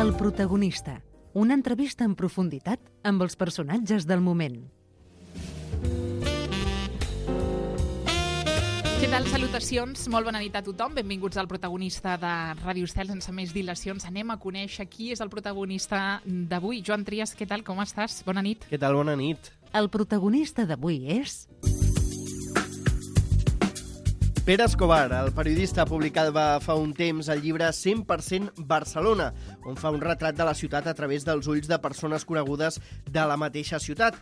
El protagonista. Una entrevista en profunditat amb els personatges del moment. Què tal? Salutacions, molt bona nit a tothom. Benvinguts al protagonista de Ràdio Estel. Sense més dilacions, anem a conèixer qui és el protagonista d'avui. Joan Trias, què tal? Com estàs? Bona nit. Què tal? Bona nit. El protagonista d'avui és... Pere Escobar, el periodista, publicava fa un temps el llibre 100% Barcelona, on fa un retrat de la ciutat a través dels ulls de persones conegudes de la mateixa ciutat.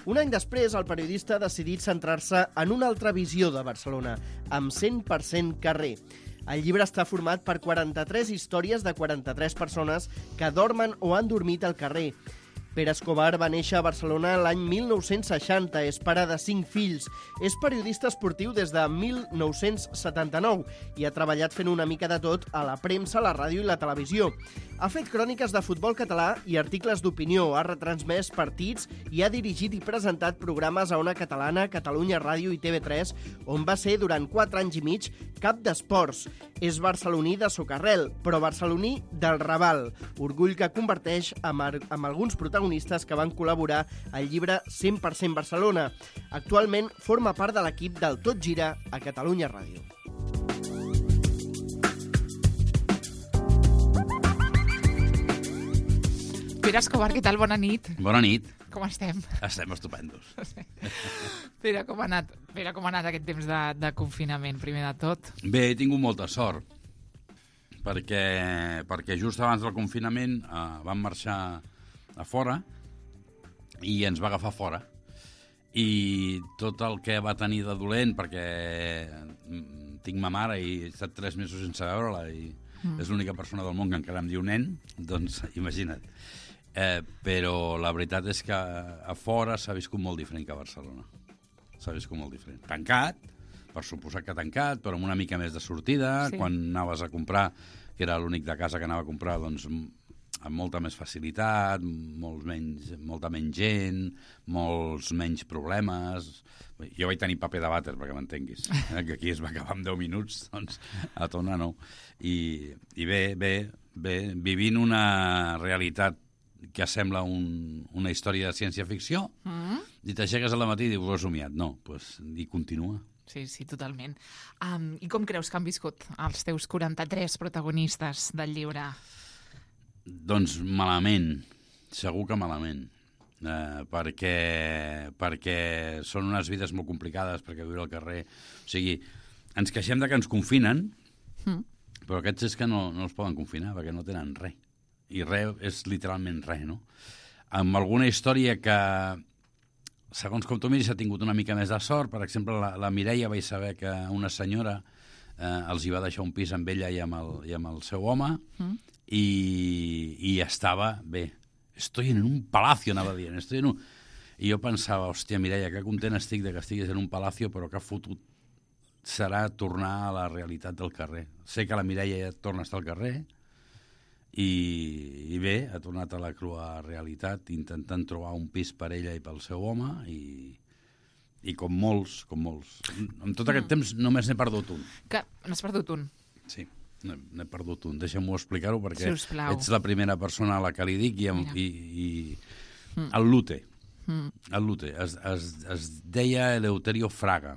Un any després, el periodista ha decidit centrar-se en una altra visió de Barcelona, amb 100% carrer. El llibre està format per 43 històries de 43 persones que dormen o han dormit al carrer. Pere Escobar va néixer a Barcelona l'any 1960, és pare de 5 fills, és periodista esportiu des de 1979 i ha treballat fent una mica de tot a la premsa, la ràdio i la televisió. Ha fet cròniques de futbol català i articles d'opinió, ha retransmès partits i ha dirigit i presentat programes a Ona Catalana, Catalunya Ràdio i TV3, on va ser durant 4 anys i mig cap d'esports. És barceloní de socarrel, però barceloní del Raval, orgull que converteix amb alguns protagonistes que van col·laborar al llibre 100% Barcelona. Actualment forma part de l'equip del Tot Gira a Catalunya Ràdio. Pere Escobar, què tal? Bona nit. Bona nit. Com estem? Estem estupendos. Pere, com ha anat aquest temps de confinament, primer de tot? Bé, he tingut molta sort, perquè just abans del confinament vam marxar a fora i ens va agafar fora. I tot el que va tenir de dolent, perquè tinc ma mare i he estat 3 mesos sense veure-la i és l'única persona del món que encara em diu nen, doncs imagina't. Però la veritat és que a fora s'ha viscut molt diferent que a Barcelona. S'ha viscut molt diferent. Tancat, per suposar que tancat, però amb una mica més de sortida. Sí. Quan anaves a comprar, que era l'únic de casa que anava a comprar, doncs amb molta més facilitat, molta menys gent, molts menys problemes. Jo vaig tenir paper de vàter, perquè m'entenguis, que aquí es va acabar en 10 minuts, doncs a Tona no. I bé, vivint una realitat que sembla una història de ciència-ficció, i t'aixeques al matí i dius, ho he somiat. No, doncs hi continua. Sí, totalment. I com creus que han viscut els teus 43 protagonistes del llibre? Doncs malament, segur que malament, perquè són unes vides molt complicades, perquè viure al carrer... O sigui, ens queixem de que ens confinen, però aquests és que no els poden confinar, perquè no tenen res. I res és literalment res, no? Amb alguna història que, segons com tu miris, ha tingut una mica més de sort. Per exemple, la Mireia vaig saber que una senyora els hi va deixar un pis amb ella i amb el seu home, i estava bé. Estoy en un palacio, anava dient. I jo pensava, hòstia, Mireia, que content estic de que estiguis en un palacio, però que fotut serà tornar a la realitat del carrer. Sé que la Mireia ja torna a estar al carrer, i bé, ha tornat a la crua realitat, intentant trobar un pis per ella i pel seu home, i com molts. En tot aquest temps només n'he perdut un. Que n'has perdut un? Sí, n'he perdut un. Deixa'm-ho explicar-ho, perquè ets la primera persona a la que li dic, i el Lute. El Lute. Es deia Eleuterio Fraga,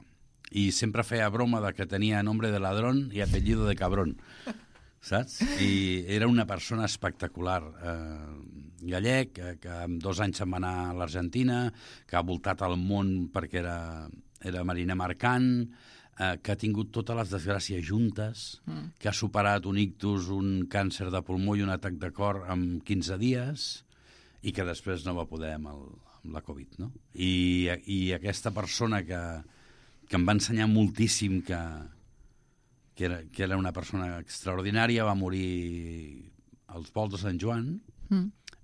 i sempre feia broma de que tenia nombre de ladrón i apellido de cabrón. Saps? I era una persona espectacular, gallec, que amb 2 anys se'n va anar a l'Argentina, que ha voltat al món perquè era mariner mercant, que ha tingut totes les desgràcies juntes, que ha superat un ictus, un càncer de pulmó i un atac de cor en 15 dies, i que després no va poder amb la Covid, no? I aquesta persona que em va ensenyar moltíssim, que era una persona extraordinària, va morir als volts de Sant Joan.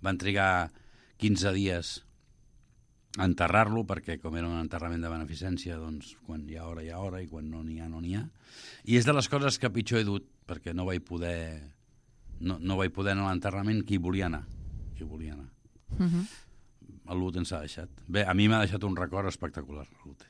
Van trigar 15 dies a enterrar-lo, perquè com era un enterrament de beneficència, doncs quan hi ha hora, hi ha hora, i quan no n'hi ha, no n'hi ha. I és de les coses que pitjor he dut, perquè no vaig poder anar a l'enterrament qui volia anar. El Lute ens ha deixat. Bé, a mi m'ha deixat un record espectacular, el Lute.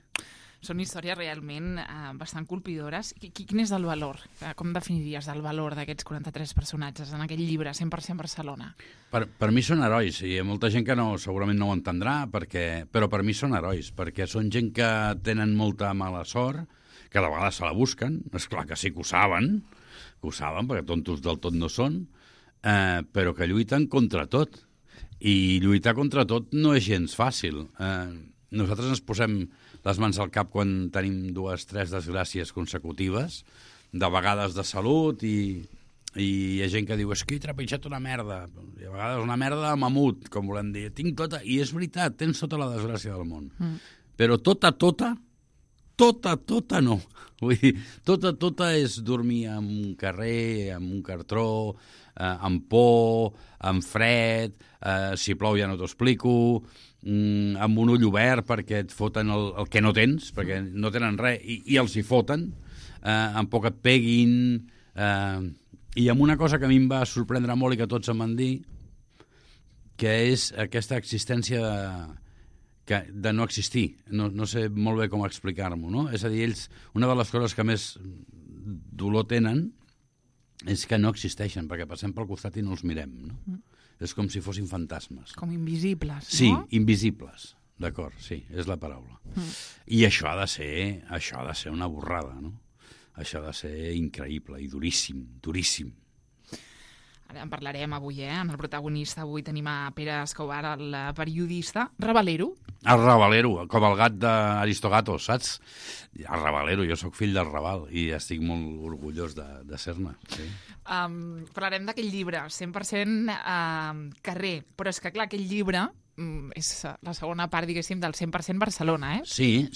Són històries realment bastant colpidores. Quin és el valor? Com definiries el valor d'aquests 43 personatges en aquell llibre, 100% Barcelona? Per mi són herois, i hi ha molta gent que segurament no ho entendrà, però per mi són herois, perquè són gent que tenen molta mala sort, que de vegades se la busquen, és clar que sí que ho saben, perquè tontos del tot no són, però que lluiten contra tot. I lluitar contra tot no és gens fàcil. Nosaltres ens posem les mans al cap quan tenim 2 o 3 desgràcies consecutives, de vegades de salut, i hi ha gent que diu és que he trepitjat una merda, i a vegades una merda de mamut, com volem dir. Tinc tota, i és veritat, tens tota la desgràcia del món. Però tota no. Vull dir, tota és dormir en un carrer, en un cartró, amb por, amb fred, si plou ja no t'ho explico, amb un ull obert perquè et foten el que no tens, perquè no tenen res, i els hi foten, amb por que et peguin, i amb una cosa que a mi em va sorprendre molt i que tots em van dir, que és aquesta existència de no existir. No sé molt bé com explicar-m'ho, no? És a dir, ells, una de les coses que més dolor tenen és que no existeixen, perquè passem pel costat i no els mirem, no? És com si fossin fantasmes. Com invisibles, no? Sí, invisibles, d'acord, sí, és la paraula. I això ha de ser una borrada, no? Això ha de ser increïble i duríssim. Ara en parlarem avui, en el protagonista. Avui tenim a Pere Escobar, el periodista. Ravalero. El Ravalero, com el gat d'Aristogatos, saps? El Ravalero, jo sóc fill del Raval i estic molt orgullós de ser-ne. Sí. Parlarem d'aquell llibre, 100% carrer. Però és que, clar, aquell llibre és la segona part, diguéssim, del 100% Barcelona, eh? Sí,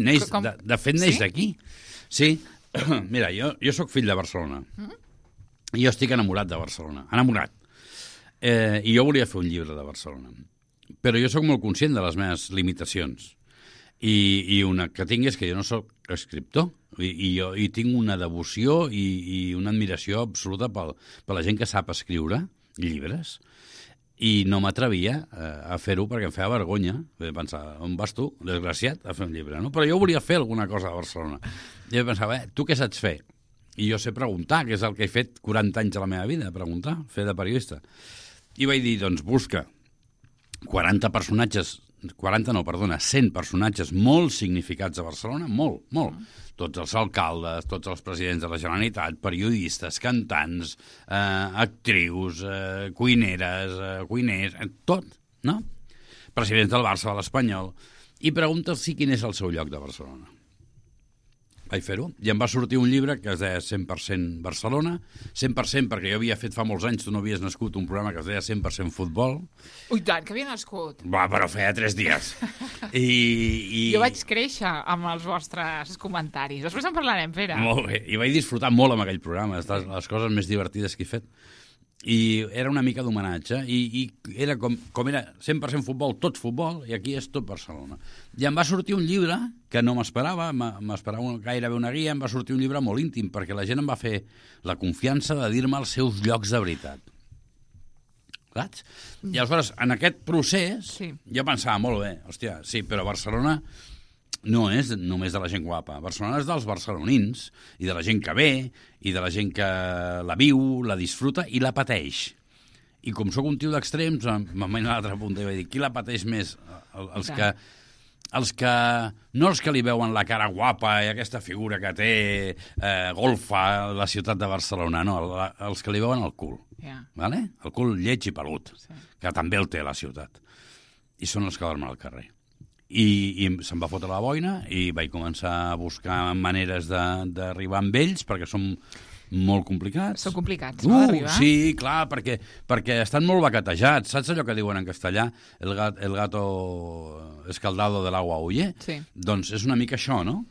neix, de fet neix d'aquí. Sí, mira, jo sóc fill de Barcelona. I jo estic enamorat de Barcelona, enamorat. I jo volia fer un llibre de Barcelona. Però jo sóc molt conscient de les meves limitacions. I una que tinc és que jo no sóc escriptor. I tinc una devoció i una admiració absoluta per la gent que sap escriure llibres. I no m'atrevia a fer-ho perquè em feia vergonya. Pensava, on vas tu, desgraciat, a fer un llibre? No? Però jo volia fer alguna cosa a Barcelona. I jo pensava, tu què saps fer? I jo sé preguntar, que és el que he fet 40 anys a la meva vida, preguntar, fer de periodista. I vaig dir, doncs busca 100 personatges molt significats a Barcelona, molt. Tots els alcaldes, tots els presidents de la Generalitat, periodistes, cantants, actrius, cuineres, cuiners, tot, no? Presidents del Barça, de l'Espanyol. I pregunta'ls quin és el seu lloc de Barcelona. Vaig fer-ho, i em va sortir un llibre que es deia 100% Barcelona, 100% perquè jo havia fet fa molts anys, tu no havies nascut, un programa que es deia 100% Futbol. Ui, tant, que havia nascut. Va, però feia 3 dies. Jo vaig créixer amb els vostres comentaris. Després en parlarem, Pere. Molt bé, i vaig disfrutar molt amb aquell programa, és les coses més divertides que he fet. I era una mica d'homenatge, i era com era 100% futbol, tot futbol, i aquí és tot Barcelona. I em va sortir un llibre que no m'esperava gairebé una guia, em va sortir un llibre molt íntim, perquè la gent em va fer la confiança de dir-me els seus llocs de veritat. Saps? I aleshores, en aquest procés, jo pensava, molt bé, hòstia, sí, però Barcelona no és només de la gent guapa. Barcelona és dels barcelonins i de la gent que ve i de la gent que la viu, la disfruta i la pateix. I com sóc un tio d'extrems, me'n vaig a l'altra punta i vaig dir, qui la pateix més? No els que li veuen la cara guapa i aquesta figura que té golfa a la ciutat de Barcelona, no, els que li veuen el cul. Vale? El cul lleig i pelut, que també el té la ciutat. I són els que dormen al carrer. I se'm va fotre la boina i vaig començar a buscar maneres d'arribar amb ells, perquè són molt complicats. Són complicats, no, d'arribar? Sí, clar, perquè estan molt baquetejats. Saps allò que diuen en castellà? El gato escaldado del agua huye? Sí. Doncs és una mica això, no?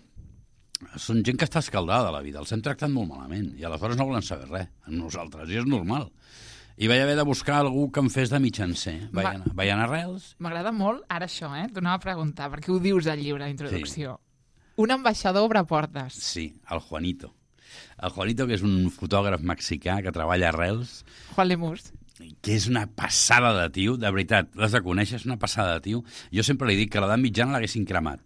Són gent que està escaldada a la vida, els hem tractat molt malament, i aleshores no volen saber res amb nosaltres, i és normal. I vaig haver de buscar algú que em fes de mitjancer. Vaig anar a Reus. M'agrada molt ara això, T'ho anava a preguntar, perquè ho dius al llibre d'introducció. Sí. Un ambaixador obre portes. Sí, el Juanito. El Juanito, que és un fotògraf mexicà que treballa a Reus. Juan Lemus. que és una passada de tio, de veritat, l'has de conèixer, és una passada de tio. Jo sempre li dic que a l'edat mitjana l'haguessin cremat,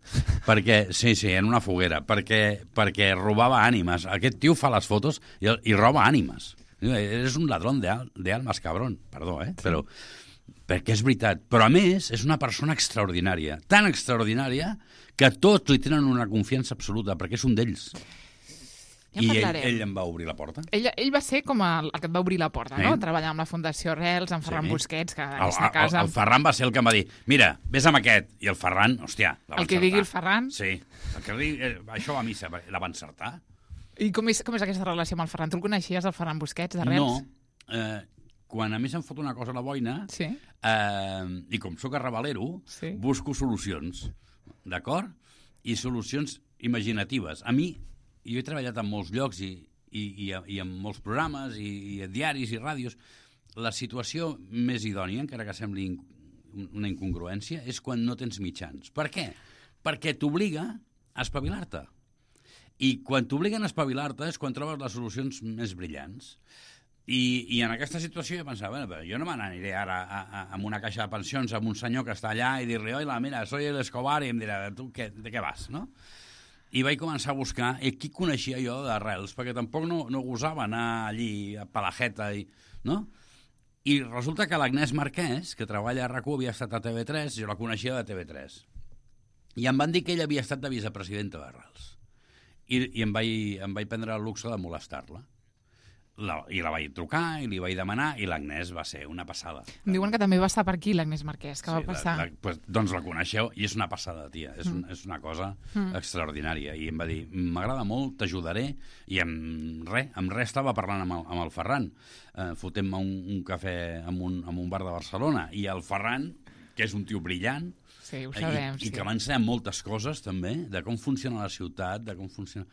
perquè, sí, en una foguera, perquè robava ànimes. Aquest tio fa les fotos i roba ànimes. És un ladrón de almas, cabrón, perdó, però perquè és veritat. Però, a més, és una persona extraordinària, tan extraordinària que tots li tenen una confiança absoluta, perquè és un d'ells. I ell em va obrir la porta. Ell va ser com el que et va obrir la porta, no? Treballar amb la Fundació Arrels, amb Ferran Busquets, que en aquesta casa... El Ferran va ser el que em va dir, mira, vés amb aquest. I el Ferran, hòstia, la va encertar. El que digui el Ferran? Sí. El que digui, això va a missa, la va encertar. I com és aquesta relació amb el Ferran? Tu el coneixies, el Ferran Busquets, d'Arrels? No. Quan a mi se'm fot una cosa a la boina, i com sóc arrabalero, busco solucions, d'acord? I solucions imaginatives. A mi... Jo he treballat en molts llocs i en molts programes i a diaris i ràdios. La situació més idònia, encara que sembli una incongruència, és quan no tens mitjans. Per què? Perquè t'obliga a espavilar-te. I quan t'obliguen a espavilar-te és quan trobes les solucions més brillants. I en aquesta situació jo pensava, jo no me n'aniré ara amb una caixa de pensions amb un senyor que està allà i dir-li, oila, mira, soy el Escobar, i em dirà, tu de què vas, no? I vaig començar a buscar qui coneixia jo d'Arrels, perquè tampoc no gosava anar allí a Palajeta, no? I resulta que l'Agnès Marquès, que treballa a RAC1, havia estat a TV3, jo la coneixia de TV3. I em van dir que ella havia estat de vicepresidenta d'Arrels. I em vaig prendre el luxe de molestar-la. I la vaig trucar, i li vaig demanar, i l'Agnès va ser una passada. Em diuen que també va estar per aquí, l'Agnès Marquès, que va passar. Doncs la coneixeu, i és una passada, tia. És una cosa extraordinària. I em va dir, m'agrada molt, t'ajudaré, i amb res estava parlant amb el Ferran. Fotem-me un cafè en un bar de Barcelona, i el Ferran, que és un tio brillant, sí, ho sabem, i que m'ha ensenyat moltes coses, també, de com funciona la ciutat, de com funciona...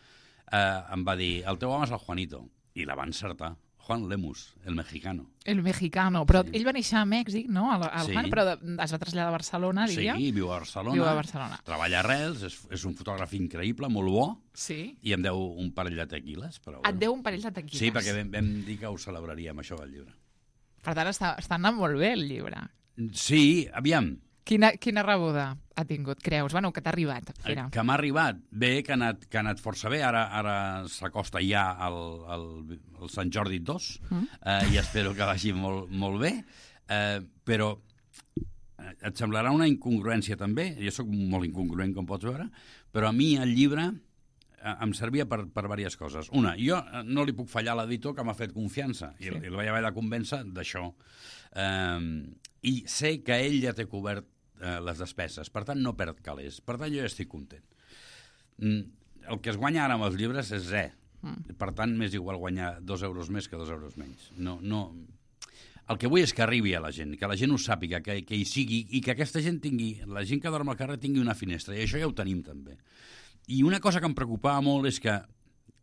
Em va dir, el teu home és el Juanito. I la va encertar. Juan Lemus, el mexicano. El mexicano. Però ell va néixer a Mèxic, no? Juan, però es va traslladar a Barcelona, diria. Sí, viu a Barcelona. Treballa a Arrels, és un fotògraf increïble, molt bo, i em deu un parell de tequiles. Et deu un parell de tequiles? Sí, perquè vam dir que ho celebraríem, això del llibre. Per tant, està anant molt bé, el llibre. Sí, aviam. Quina rebuda ha tingut, creus? Bueno, que t'ha arribat. Que m'ha arribat. Bé, que ha anat força bé. Ara s'acosta ja el Sant Jordi 2 i espero que vagi molt, molt bé. Però et semblarà una incongruència també. Jo sóc molt incongruent, com pots veure, però a mi el llibre em servia per diverses coses. Una, jo no li puc fallar a l'editor que m'ha fet confiança i el vaig haver de convèncer d'això. I sé que ell ja té cobert les despeses, per tant no perd calés, per tant jo ja estic content. El que es guanya ara amb els llibres és res, per tant m'és igual guanyar 2 euros més que 2 euros menys. El que vull és que arribi a la gent, que la gent ho sàpiga, que hi sigui, i que aquesta gent tingui, la gent que dorm al carrer tingui una finestra, i això ja ho tenim també. I una cosa que em preocupava molt és que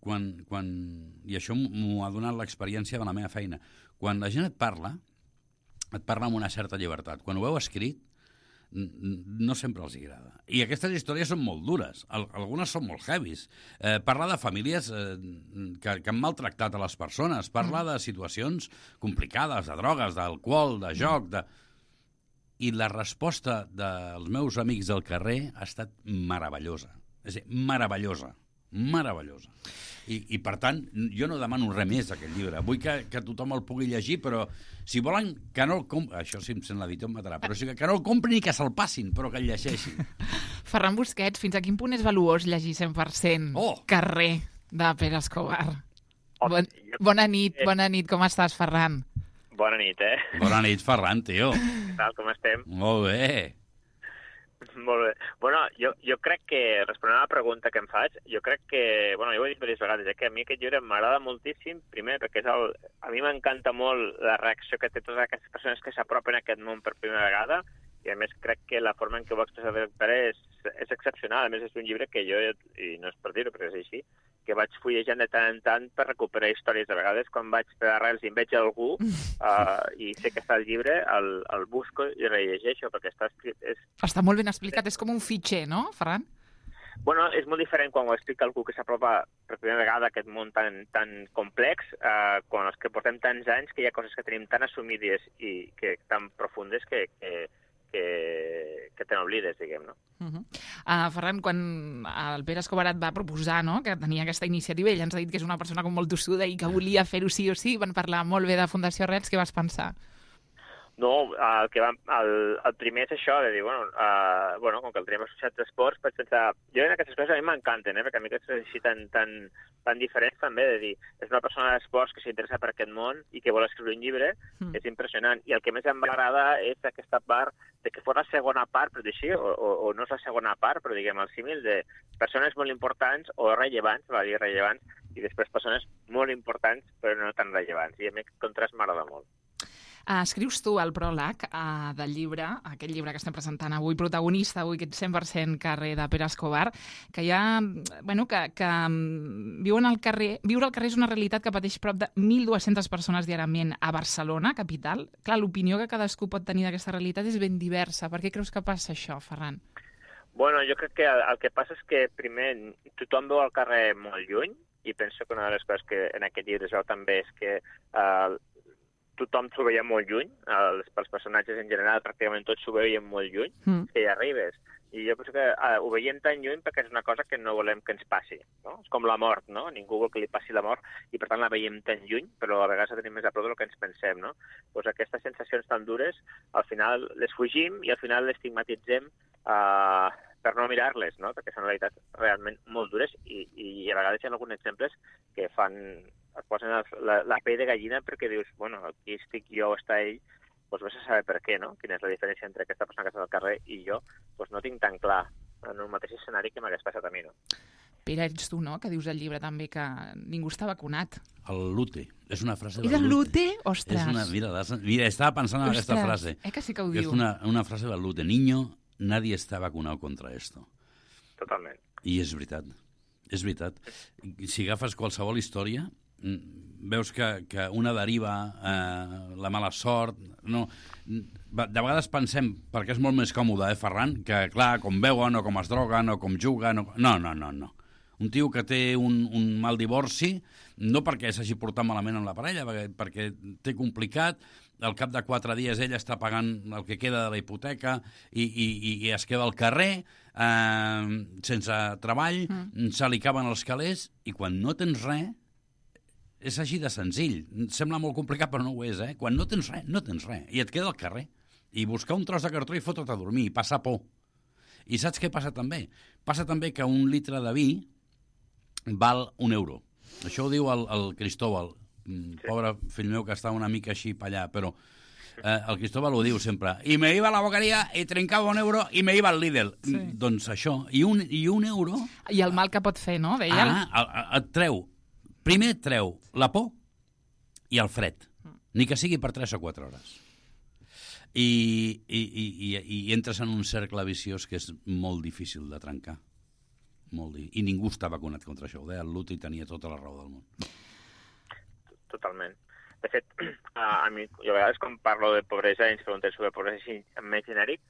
i això m'ho ha donat l'experiència de la meva feina, quan la gent et parla amb una certa llibertat. Quan ho veu escrit, no sempre els agrada. I aquestes històries són molt dures. Algunes són molt heavies. Parla de famílies que han maltractat a les persones. Parla de situacions complicades, de drogues, d'alcohol, de joc. I la resposta dels meus amics del carrer ha estat meravellosa. És a dir, meravellosa. I per tant, jo no demano res més d'aquest llibre. Vull que tothom el pugui llegir, però si volen que no el comprin... Això si em sent l'editor em matarà, però que no el comprin i que se'l passin, però que el llegeixin. Ferran Busquets, fins a quin punt és valuós llegir 100% Carrer de Pere Escobar? Bona nit, com estàs, Ferran? Bona nit, Bona nit, Ferran, tio. Què tal, com estem? Molt bé. Molt bé. Bueno, jo crec que, responent a la pregunta que em faig, jo crec que, bueno, jo ho he dit diverses vegades, que a mi aquest llibre m'agrada moltíssim, primer perquè a mi m'encanta molt la reacció que té totes aquestes persones que s'apropen a aquest món per primera vegada, i a més crec que la forma en què ho va expressar el Pere és excepcional. A més és un llibre que jo, i no és per dir-ho, però és així, que vaig fullejant de tant en tant per recuperar històries. De vegades, quan vaig per Arrels i em veig algú i sé que està al llibre, el busco i rellegeixo, perquè està escrit... Està molt ben explicat, és com un fitxer, no, Ferran? Bueno, és molt diferent quan ho explica algú que s'apropa per primera vegada a aquest món tan complex, quan els que portem tants anys que hi ha coses que tenim tan assumides i que tan profundes que te n'oblides, diguem, no? Ferran, quan el Pere Escobar et va proposar, no?, que tenia aquesta iniciativa, ell ens ha dit que és una persona com molt tossuda i que volia fer-ho sí o sí, van parlar molt bé de Fundació Arrels, què vas pensar? No, el primer és això, de dir, bueno, com que el tenim associat d'esports, vaig pensar... Jo en aquestes coses a mi m'encanten, perquè a mi aquestes coses així tan diferents també, de dir, és una persona d'esports que s'interessa per aquest món i que vol escriure un llibre, és impressionant. I el que més em agrada és aquesta part de que fos la segona part, però així, o no és la segona part, però diguem el símil de persones molt importants o rellevants, va dir rellevants, i després persones molt importants però no tan rellevants. I a mi aquest contrast m'agrada molt. Escrius tu el pròleg del llibre, aquest llibre que estem presentant avui, protagonista avui, aquest 100% carrer de Pere Escobar, que que viure al carrer és una realitat que pateix prop de 1.200 persones diàriament a Barcelona, capital. Clar, l'opinió que cadascú pot tenir d'aquesta realitat és ben diversa. Per què creus que passa això, Ferran? Bueno, jo crec que el que passa és que, primer, tothom veu el carrer molt lluny, i penso que una de les coses que en aquest llibre es veu també és que tothom s'ho veia molt lluny, els personatges en general pràcticament tots s'ho veien molt lluny, que hi arribes. I jo penso que ho veiem tan lluny perquè és una cosa que no volem que ens passi, no? És com la mort, no? Ningú vol que li passi la mort i per tant la veiem tan lluny, però a vegades la tenim més a prop del que ens pensem, no? Doncs aquestes sensacions tan dures, al final les fugim i al final les estigmatitzem per no mirar-les, no? Perquè són realitats realment molt dures i a vegades hi ha alguns exemples que et posen la pell de gallina perquè dius, bueno, aquí estic jo o està ell, doncs vés a saber per què, no? Quina és la diferència entre aquesta persona que està al carrer i jo, doncs no tinc tan clar en un mateix escenari que m'hagués passat a mi, no? Pere, ets tu, no?, que dius al llibre també que ningú està vacunat. El Lute, és una frase del Lute. És el Lute? Ostres! Mira, estava pensant en aquesta frase. Que sí que ho diu. És una frase del Lute. Niño, nadie está vacunado contra esto. Totalment. I és veritat. És veritat. Si agafes qualsevol història, veus que una deriva, la mala sort... No. De vegades pensem, perquè és molt més còmode, Ferran, que, clar, com beuen o com es droguen o com juguen... No. Un tio que té un mal divorci, no perquè s'hagi portat malament amb la parella, perquè té complicat, al cap de 4 dies ella està pagant el que queda de la hipoteca i es queda al carrer sense treball, se li caben els calés i quan no tens res, és així de senzill. Sembla molt complicat, però no ho és, eh? Quan no tens res, no tens res. I et queda al carrer. I buscar un tros de cartró i fotre't a dormir, i passar por. I saps què passa també? Passa també que un litre de vi val €1. Això ho diu el Cristóbal, pobre fill meu que està una mica així per allà, però el Cristóbal ho diu sempre. I me iba a la boqueria i trincava €1 i me iba al Lidl. Sí. Doncs això, i un euro... I el mal que pot fer, no? Deia et treu. Primer et treu la por i el fred, ni que sigui per 3 o 4 hores. I entres en un cercle viciós que és molt difícil de trencar. I ningú està vacunat contra això. Ho deia el Lute i tenia tota la raó del món. Totalment. De fet, a mi, jo a vegades quan parlo de pobresa i ens preguntem sobre pobresa així més genèric,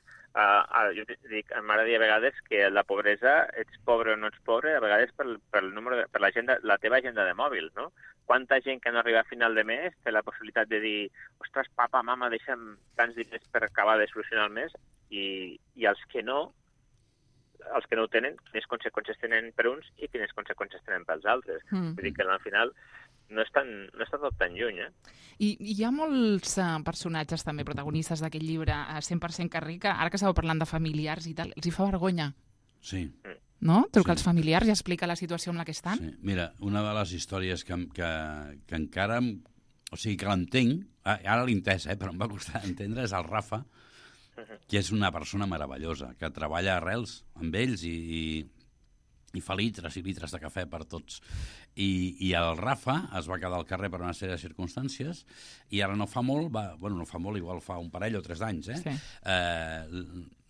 jo dic, m'agrada dir a vegades que la pobresa, ets pobre o no ets pobre, a vegades per la teva agenda de mòbil, no? Quanta gent que no arriba a final de mes té la possibilitat de dir, ostres, papa, mama, deixa'm tants diners per acabar de solucionar el mes, i els que no ho tenen, quines conseqüències tenen per uns i quines conseqüències tenen pels altres. Vull dir que al final no està tot tan lluny, eh? I hi ha molts personatges també protagonistes d'aquest llibre, 100% carrer, que ara que estàveu parlant de familiars i tal, els hi fa vergonya. Sí. No? Trucar als familiars i explicar la situació en la que estan? Sí. Mira, una de les històries que encara... O sigui, que l'entenc, ara l'he entès, però em va costar entendre, és el Rafa, que és una persona meravellosa, que treballa a Arrels amb ells i fa litres i litres de cafè per tots. I el Rafa es va quedar al carrer per una sèrie de circumstàncies i ara no fa molt, igual fa un parell o 3 anys, sí.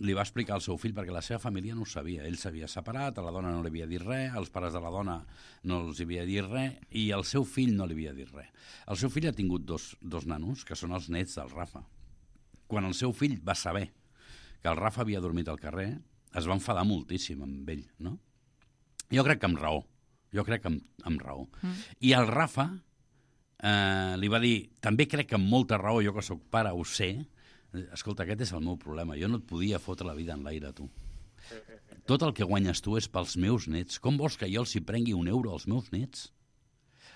Li va explicar al seu fill, perquè la seva família no ho sabia. Ell s'havia separat, a la dona no li havia dit res, als pares de la dona no els havia dit res i al seu fill no li havia dit res. El seu fill ha tingut dos nanos, que són els nets del Rafa. Quan el seu fill va saber que el Rafa havia dormit al carrer, es va enfadar moltíssim amb ell, no? Jo crec que amb raó. I el Rafa li va dir, també crec que amb molta raó, jo que sóc pare ho sé, escolta, aquest és el meu problema, jo no et podia fotre la vida en l'aire, tu. Tot el que guanyes tu és pels meus nets. Com vols que jo els hi prengui €1 als meus nets?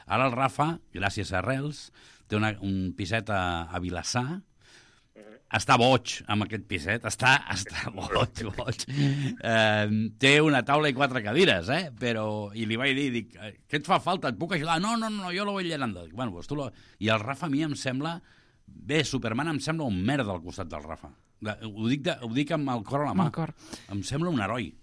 Ara el Rafa, gràcies a Arrels, té un piset a Vilassar. Està boig amb aquest piset, està boig. Té una taula i 4 cadires, però... I li vaig dir, què et fa falta? Et puc ajudar? No, jo lo voy llenando. Bueno, pues I el Rafa a mi em sembla... Bé, Superman em sembla un merda al costat del Rafa. Ho dic amb el cor a la mà. Em sembla un heroi.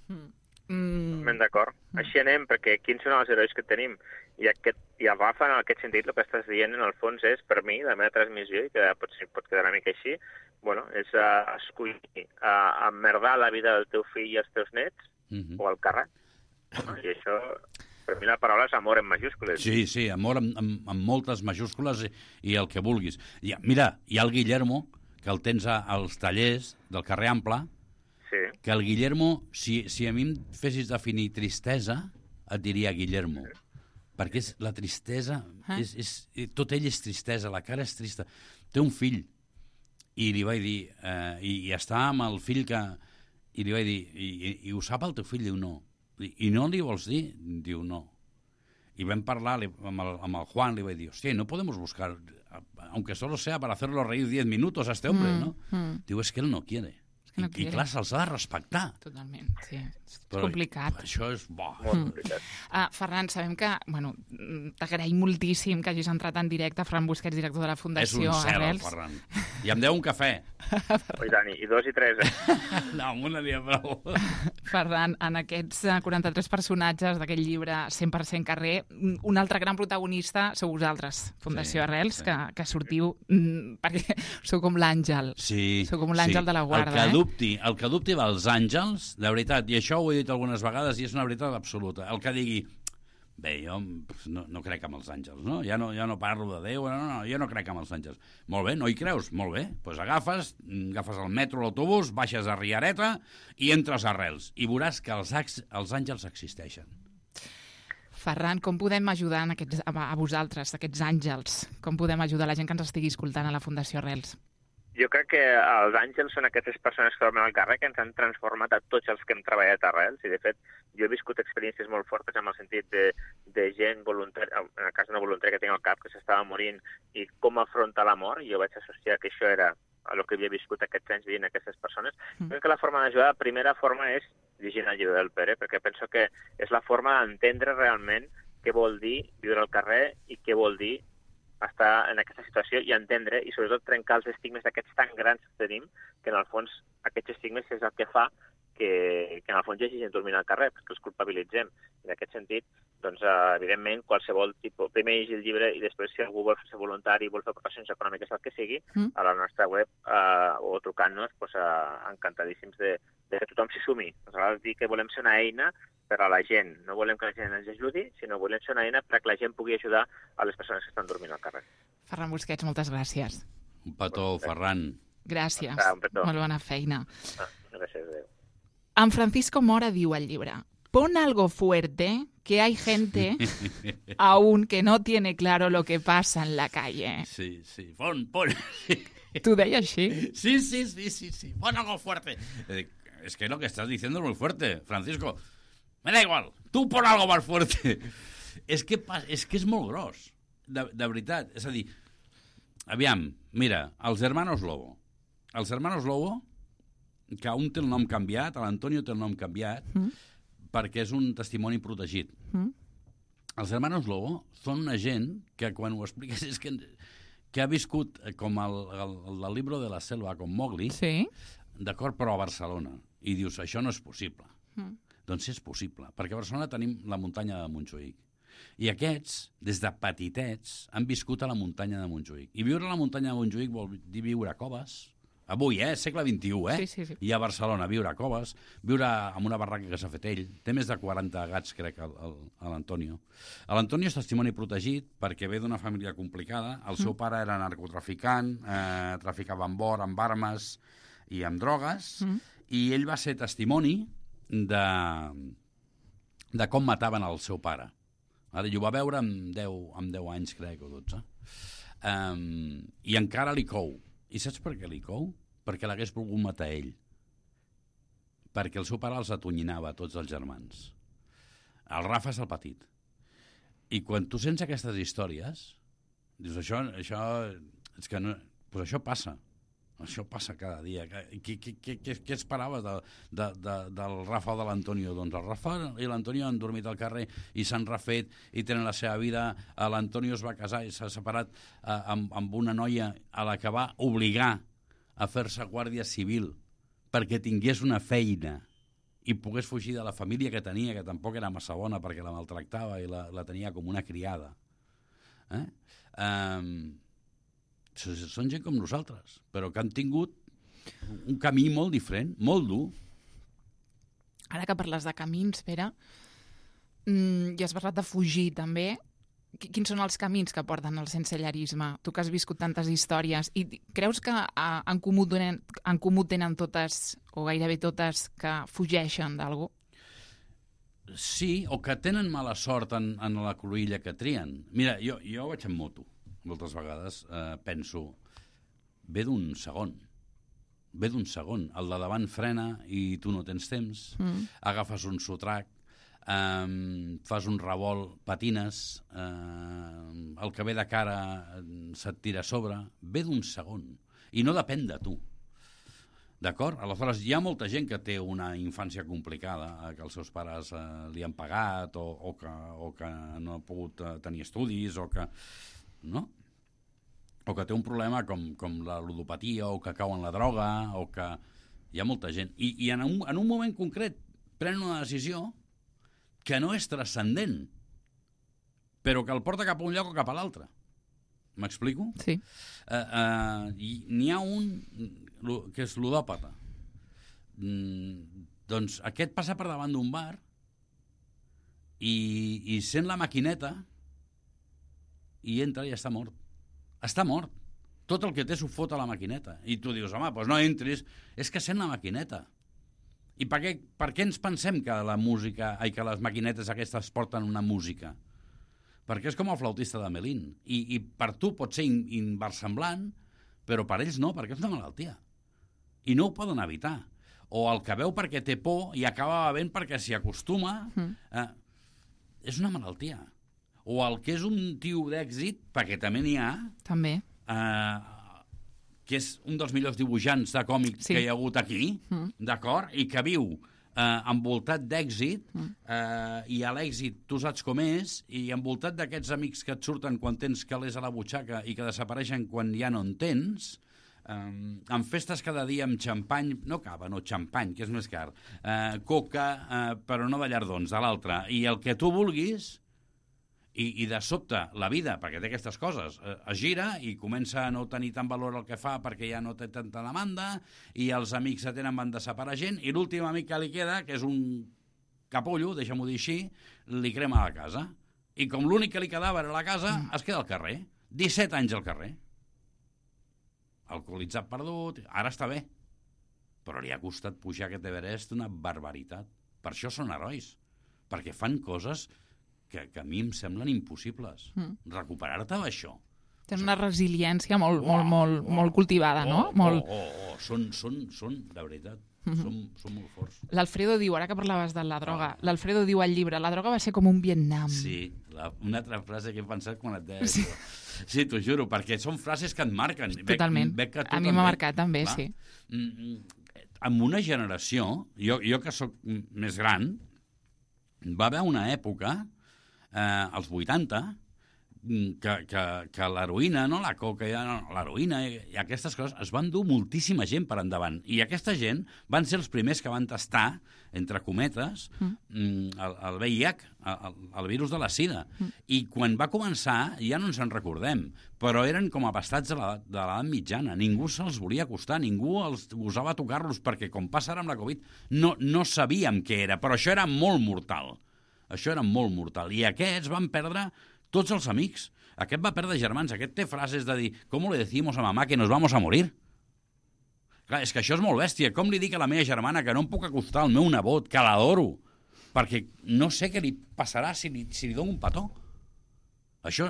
Ben d'acord. Així anem, perquè quins són els herois que tenim? I el Rafa, en aquest sentit, el que estàs dient, en el fons, és, per mi, la meva transmissió, i que potser pot quedar una mica així, és escollir emmerdar la vida del teu fill i els teus nets, o el càrrec. I això, per mi, la paraula és amor en majúscules. Sí, amor amb moltes majúscules i el que vulguis. Mira, hi ha el Guillermo, que el tens als tallers del carrer Ample, que el Guillermo, si a mi em fessis definir tristesa, et diria Guillermo. Perquè la tristesa, tot ell és tristesa, la cara és trista. Té un fill, i li vaig dir, i està amb el fill que... I li vaig dir, i ho sap el teu fill? Diu, no. I no li vols dir? Diu, no. Y vam parlar amb el Juan, li vaig dir, hostia, no podemos buscar, aunque solo sea para hacerlo reír 10 minutos a este hombre, ¿no? Diu, es que él no quiere. I clar, se'ls ha de respectar. Totalment, sí. És complicat. Això és bo. Molt complicat. Ferran, sabem que, t'agraïm moltíssim que hagis entrat en directe. Ferran Busquets, director de la Fundació Arrels. És un cel, Arrels. Ferran. I em deu un cafè. Oi, Dani, i 2 i 3, No, amb una dia prou. Ferran, en aquests 43 personatges d'aquest llibre 100% carrer, un altre gran protagonista sou vosaltres, Fundació Arrels, que sortiu perquè sou com l'àngel. Sí. Sou com l'àngel de la guarda, El que dubti dels àngels, de veritat, i això ho he dit algunes vegades i és una veritat absoluta, el que digui, bé, jo no crec en els àngels, no? Ja no parlo de Déu, no, jo no crec en els àngels. Molt bé, no hi creus? Molt bé, doncs agafes el metro, l'autobús, baixes a Riareta i entres a Arrels, i veuràs que els àngels existeixen. Ferran, com podem ajudar a vosaltres, aquests àngels? Com podem ajudar la gent que ens estigui escoltant a la Fundació Arrels? Jo crec que els àngels són aquestes persones que dormen al carrer que ens han transformat a tots els que hem treballat a Arrels, i de fet jo he viscut experiències molt fortes en el sentit de gent voluntària, en el cas d'una voluntària que tinc al cap, que s'estava morint, i com afrontar la mort, i jo vaig associar que això era el que havia viscut aquests anys dient aquestes persones. Crec que la forma d'ajudar, la primera forma és llegint el llibre del Pere, perquè penso que és la forma d'entendre realment què vol dir viure al carrer i què vol dir estar en aquesta situació i entendre i sobretot trencar els estigmes d'aquests tan grans que tenim, que en el fons aquests estigmes és el que fa que en el fons hi hagi gent dormint al carrer, perquè els culpabilitzem. En aquest sentit, doncs, evidentment, qualsevol tipus... Primer llegir el llibre i després, si algú vol ser voluntari i vol fer aportacions econòmiques, el que sigui, a la nostra web o trucant-nos, doncs, encantadíssims de que tothom s'hi sumi. Nosaltres dir que volem ser una eina per a la gent. No volem que la gent ens ajudi, sinó volem ser una eina perquè la gent pugui ajudar a les persones que estan dormint al carrer. Ferran Busquets, moltes gràcies. Un petó, Ferran. Gràcies. Un petó. Molt bona feina. Gràcies, adéu. En Francisco Mora diu al llibre: pon algo fuerte, que hay gente aún que no tiene claro lo que pasa en la calle. Sí. Pon. ¿Tú deia així? Sí. Pon algo fuerte. Es que lo que estás diciendo es muy fuerte, Francisco. Me da igual, tu pon algo más fuerte. És que és molt gros, de veritat. És a dir, aviam, mira, els Hermanos Lobo. Els Hermanos Lobo, que un té el nom canviat, l'Antonio té el nom canviat, perquè és un testimoni protegit. Els Hermanos Lobo són una gent que quan ho expliques és que ha viscut com el libro de la selva, com Mowgli, d'acord, però a Barcelona. I dius, això no és possible. Doncs és possible, perquè a Barcelona tenim la muntanya de Montjuïc. I aquests, des de petitets, han viscut a la muntanya de Montjuïc. I viure a la muntanya de Montjuïc vol dir viure a coves. Avui, segle XXI, Sí. I a Barcelona, viure a coves, viure en una barraca que s'ha fet ell. Té més de 40 gats, crec, a l'Antonio. L'Antonio és testimoni protegit perquè ve d'una família complicada. El seu pare era narcotraficant, traficava amb or, amb armes i amb drogues, i ell va ser testimoni de com mataven el seu pare. Ara, i ho va veure amb 10 anys, crec, o 12. I encara li cou. I saps per què li cou? Perquè l'hagués volgut matar ell. Perquè el seu pare els atonyinava a tots els germans. El Rafa és el petit. I quan tu sents aquestes històries, dius, això és que no, pues això passa. Això passa cada dia. Què esperaves del Rafa o de l'Antonio? Doncs el Rafa i l'Antonio han dormit al carrer i s'han refet i tenen la seva vida. L'Antonio es va casar i s'ha separat amb una noia a la que va obligar a fer-se guàrdia civil perquè tingués una feina i pogués fugir de la família que tenia, que tampoc era massa bona perquè la maltractava i la tenia com una criada. Són gent com nosaltres, però que han tingut un camí molt diferent, molt dur. Ara que parles de camins, Pere, ja has parlat de fugir també. Quins són els camins que porten al sensellarisme? Tu que has viscut tantes històries, i creus que en comú tenen totes, o gairebé totes, que fugeixen d'algú? Sí, o que tenen mala sort en la cruïlla que trien. Mira, jo vaig en moto. Moltes vegades penso, ve d'un segon. El de davant frena i tu no tens temps, agafes un sotrac, fas un revolt, patines, el que ve de cara se't tira a sobre, ve d'un segon. I no depèn de tu. D'acord? Aleshores, hi ha molta gent que té una infància complicada, que els seus pares li han pagat o que no ha pogut tenir estudis o que té un problema com la ludopatia o que cau en la droga o que hi ha molta gent. I en un moment concret pren una decisió que no és transcendent, però que el porta cap a un lloc o cap a l'altre. M'explico? Sí. N'hi ha un que és ludòpata. Doncs aquest passa per davant d'un bar i sent la maquineta i entra i està mort. Està mort. Tot el que té s'ho fot a la maquineta. I tu dius, home, doncs no entris. És que sent la maquineta. I per què ens pensem que que les maquinetes aquestes porten una música? Perquè és com el flautista de Melín. I per tu pot ser inversemblant, però per ells no, perquè és una malaltia. I no ho poden evitar. O el que veu perquè té por i acaba bevent perquè s'hi acostuma. És una malaltia. O el que és un tio d'èxit, perquè també n'hi ha, també. Que és un dels millors dibuixants de còmics que hi ha hagut aquí, d'acord? I que viu envoltat d'èxit, i a l'èxit tu saps com és, i envoltat d'aquests amics que et surten quan tens calés a la butxaca i que desapareixen quan ja no en tens, amb festes cada dia amb xampany, no cava, no, xampany, que és més car, coca, però no de llardons, de l'altre, i el que tu vulguis. I de sobte la vida, perquè té aquestes coses, es gira i comença a no tenir tant valor el que fa perquè ja no té tanta demanda i els amics se tenen, van desapareixent i l'últim amic que li queda, que és un capullo, deixa'm-ho dir així, li crema la casa. I com l'únic que li quedava era la casa, es queda al carrer. 17 anys al carrer. Alcoholitzat perdut, ara està bé. Però li ha costat pujar aquest Everest una barbaritat. Per això són herois. Perquè fan coses que a mi em semblen impossibles. Recuperar-te d'això. Tens una resiliència molt cultivada, no? Són, de veritat, són molt forts. L'Alfredo diu, ara que parlaves de la droga, l'Alfredo diu al llibre, la droga va ser com un Vietnam. Sí, una altra frase que he pensat quan et deia això. Sí, t'ho juro, perquè són frases que et marquen. Totalment. A mi m'ha marcat també, sí. En una generació, jo que sóc més gran, va haver una època als 80, que l'heroïna, no la coca, l'heroïna i aquestes coses es van dur moltíssima gent per endavant. I aquesta gent van ser els primers que van tastar, entre cometes, el VIH, el virus de la sida. I quan va començar, ja no ens en recordem, però eren com abastats de l'edat mitjana. Ningú se'ls volia acostar, ningú els gosava tocar-los, perquè com passa ara amb la Covid, no sabíem què era, però això era molt mortal. Això era molt mortal. I aquests van perdre tots els amics. Aquest va perdre germans. Aquest té frases de dir «¿Cómo le decimos a mamá que nos vamos a morir?» Clar, és que això és molt bèstia. Com li dic a la meva germana que no em puc acostar al meu nebot, que l'adoro? perquè no sé què li passarà si li dono un petó. Això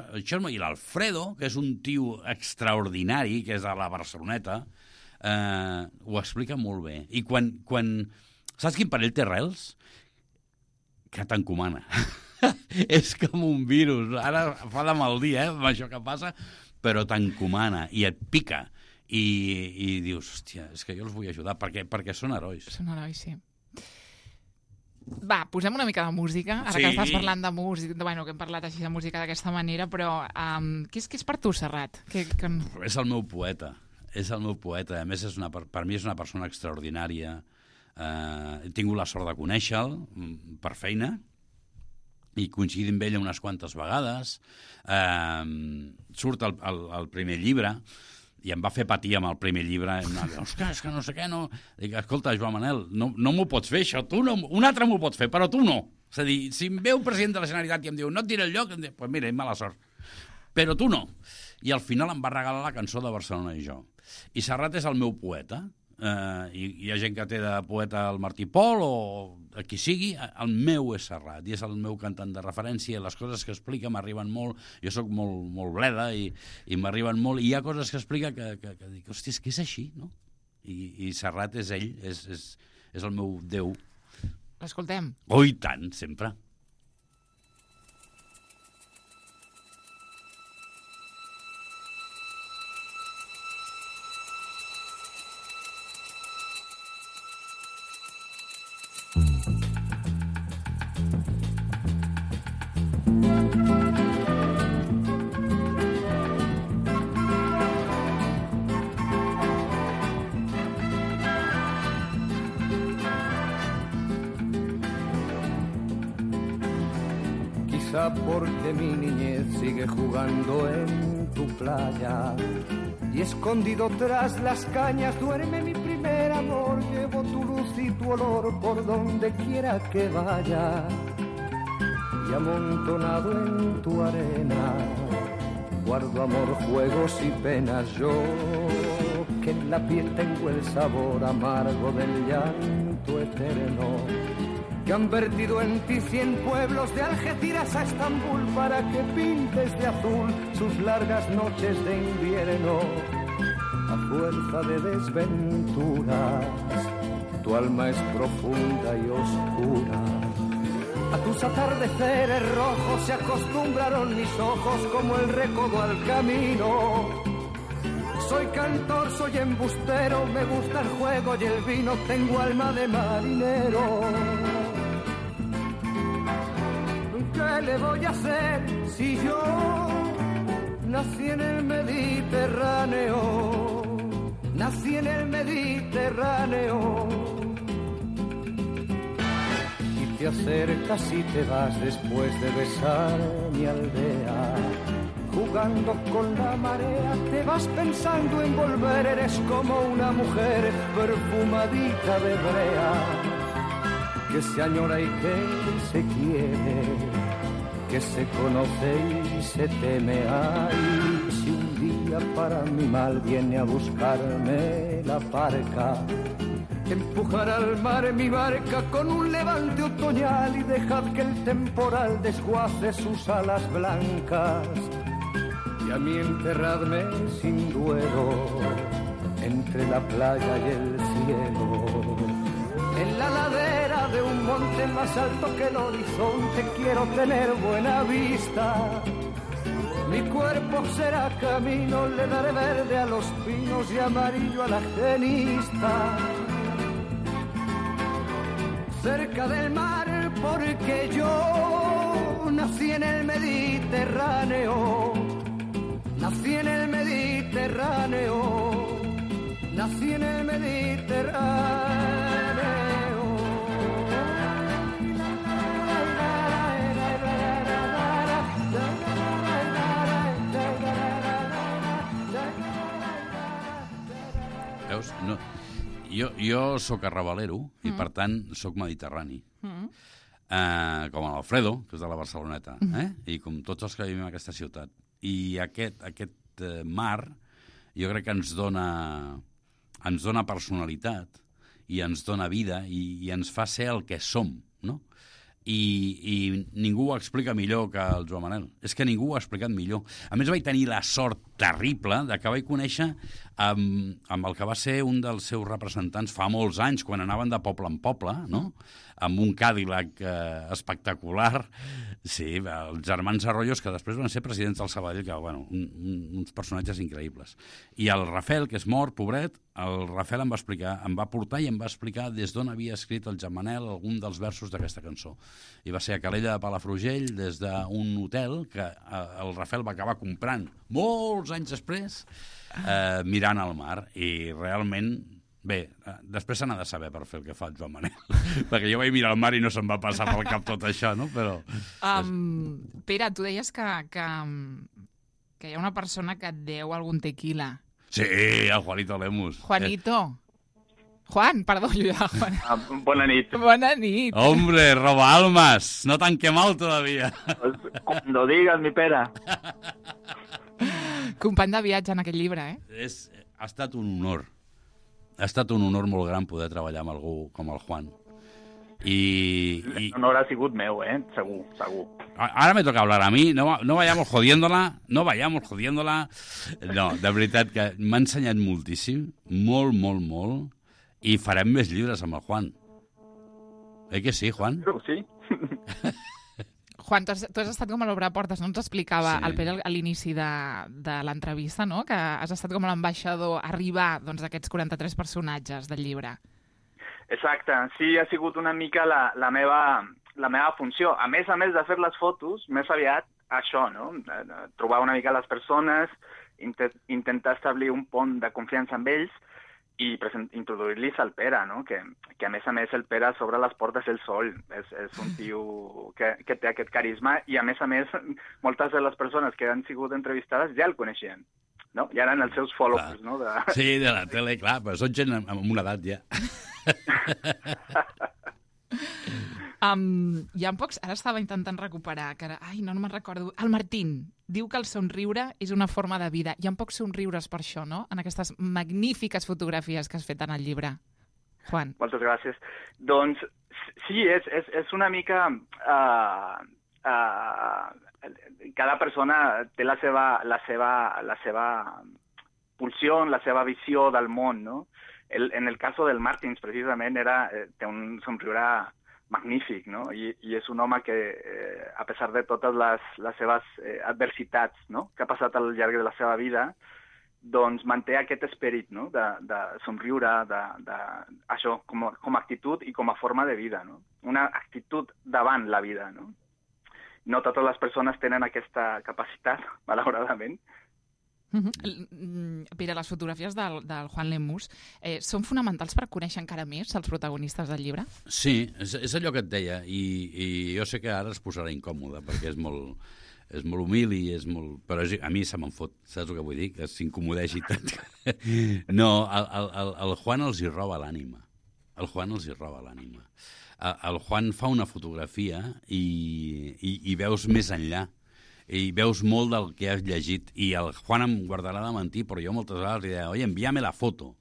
i l'Alfredo, que és un tio extraordinari, que és a la Barceloneta, ho explica molt bé. I quan saps quin parell té rels? Que t'encomana. És com un virus. Ara fa de mal dia, amb això que passa, però t'encomana i et pica. I dius, hòstia, és que jo els vull ajudar, perquè són herois. Són herois, sí. Va, posem una mica de música, ara que estàs parlant de música, bueno, que hem parlat així de música d'aquesta manera, però què és per tu, Serrat? És el meu poeta, A més, per mi és una persona extraordinària. He tingut la sort de conèixer-lo per feina, i coincidim amb ella unes quantes vegades. Surt el primer llibre, i em va fer patir amb el primer llibre. Ostres, és que no sé què, no... Dic, escolta, Joan Manel, no m'ho pots fer, això. Un altre m'ho pots fer, però tu no. És a dir, si em ve un president de la Generalitat i em diu no et diré el lloc, em diu, pues mira, mala sort. Però tu no. I al final em va regalar la cançó de Barcelona i jo. I Serrat és el meu poeta. Hi ha gent que té de poeta el Martí Pol o a qui sigui, el meu és Serrat i és el meu cantant de referència. Les coses que explica m'arriben molt, jo sóc molt bleda i m'arriben molt, i hi ha coses que explica que dic, hòstia, és que és així, no? I Serrat és ell, és el meu Déu. L'escoltem? Oh, i tant, sempre. Porque mi niñez sigue jugando en tu playa y escondido tras las cañas duerme mi primer amor. Llevo tu luz y tu olor por donde quiera que vaya y amontonado en tu arena guardo amor, juegos y penas. Yo que en la piel tengo el sabor amargo del llanto eterno, que han vertido en ti 100 pueblos de Algeciras a Estambul para que pintes de azul sus largas noches de invierno. A fuerza de desventuras, tu alma es profunda y oscura. A tus atardeceres rojos se acostumbraron mis ojos como el recodo al camino. Soy cantor, soy embustero, me gusta el juego y el vino, tengo alma de marinero. ¿Qué le voy a hacer si yo nací en el Mediterráneo? Nací en el Mediterráneo. Y te acercas y te vas después de besar mi aldea. Jugando con la marea, te vas pensando en volver. Eres como una mujer perfumadita de brea, que se añora y que se quiere, que se conoce y se teme. Ay, si un día para mi mal viene a buscarme la parca, empujar al mar mi barca con un levante otoñal y dejad que el temporal desguace sus alas blancas. Y a mí enterradme sin duelo entre la playa y el cielo, en la ladera de un monte más alto que el horizonte. Quiero tener buena vista, mi cuerpo será camino, le daré verde a los pinos y amarillo a la genista. Cerca del mar porque yo nací en el Mediterráneo. Nací en el Mediterráneo, nací en el Mediterráneo. Veus? No. Jo sóc arrabalero i, per tant, sóc mediterrani. Com l'Alfredo, que és de la Barceloneta, i com tots els que vivim en aquesta ciutat. I aquest mar jo crec que ens dona personalitat i ens dona vida i ens fa ser el que som, no? i ningú ho explica millor que el Joan Manel. És que ningú ho ha explicat millor. A més, vaig tenir la sort terrible de que vaig conèixer amb el que va ser un dels seus representants fa molts anys, quan anaven de poble en poble, no? Amb un Cadillac espectacular. Sí, els germans Arroyos, que després van ser presidents del Sabadell, que, bueno, uns personatges increïbles. I el Rafel, que és mort, pobret, el Rafel em va portar i em va explicar des d'on havia escrit el Joan Manel algun dels versos d'aquesta cançó. I va ser a Calella de Palafrugell, des d'un hotel que el Rafel va acabar comprant molts anys després, mirant al mar. I realment... Bé, després se n'ha de saber per fer el que fa el Joan Manel, perquè jo vaig mirar al mar i no se'm va passar pel cap tot això, no? Però... Pere, tu deies que hi ha una persona que et deu algun tequila. Sí, el Juanito Lemus. Juanito. Juan, perdó, jo ja... Juan. Bona nit. Bona nit. Hombre, roba almas, no tan quemado todavía. Cuando digas, mi Pere. Company de viatge en aquest llibre, eh? Ha estat un honor. Ha estat un honor molt gran poder treballar amb algú com el Juan. L'honor ha sigut meu, segur, segur. Ahora me toca hablar a mí, no vayamos jodiéndola. No, de veritat que m'ha ensenyat moltíssim, molt, molt, molt, i farem més llibres amb el Juan. Que sí, Juan? Sí. Juan, tu has estat com a l'Obreportes, no? Ens explicava el Pere a l'inici de l'entrevista, no? Que has estat com l'ambaixador a arribar d'aquests 43 personatges del llibre. Exacte, sí, ha sigut una mica la meva funció. A més de fer les fotos, més aviat això, no? Trobar una mica les persones, intentar establir un pont de confiança amb ells i introduir-los al Pere, no? Que a més el Pere s'obre les portes ell sol. És un tio que té aquest carisma i a més, moltes de les persones que han sigut entrevistades ja el coneixien, no? Ja eren els seus followers, no? Sí, de la tele, clar, però són gent amb una edat ja. Hi ha pocs... Ara estava intentant recuperar, que ara... no me'n recordo. El Martín diu que el somriure és una forma de vida. Hi ha pocs somriures per això, no? En aquestes magnífiques fotografies que has fet en el llibre. Juan. Moltes gràcies. Doncs sí, és una mica... cada persona té la seva pulsió, la seva visió del món, no? En el cas del Martins, precisament, té un somriure magnífic, no? I és un home que, a pesar de totes les seves adversitats, no? Que ha passat al llarg de la seva vida, doncs manté aquest esperit, no? De somriure, això, com a actitud i com a forma de vida, no? Una actitud davant la vida, no? No totes les persones tenen aquesta capacitat, malauradament. Pere, les fotografies del Juan Lemus són fonamentals per conèixer encara més els protagonistes del llibre? Sí, és allò que et deia, i jo sé que ara es posarà incòmode, perquè és molt humil i és molt... Però a mi se me'n fot, saps el que vull dir? Que s'incomodeixi tant. No, el Juan els hi roba l'ànima. El Juan els hi roba l'ànima. El Juan fa una fotografia i veus més enllà. I veus molt del que has llegit. I el Juan em guardarà de mentir, però jo moltes vegades li deia, oi, envia-me la foto,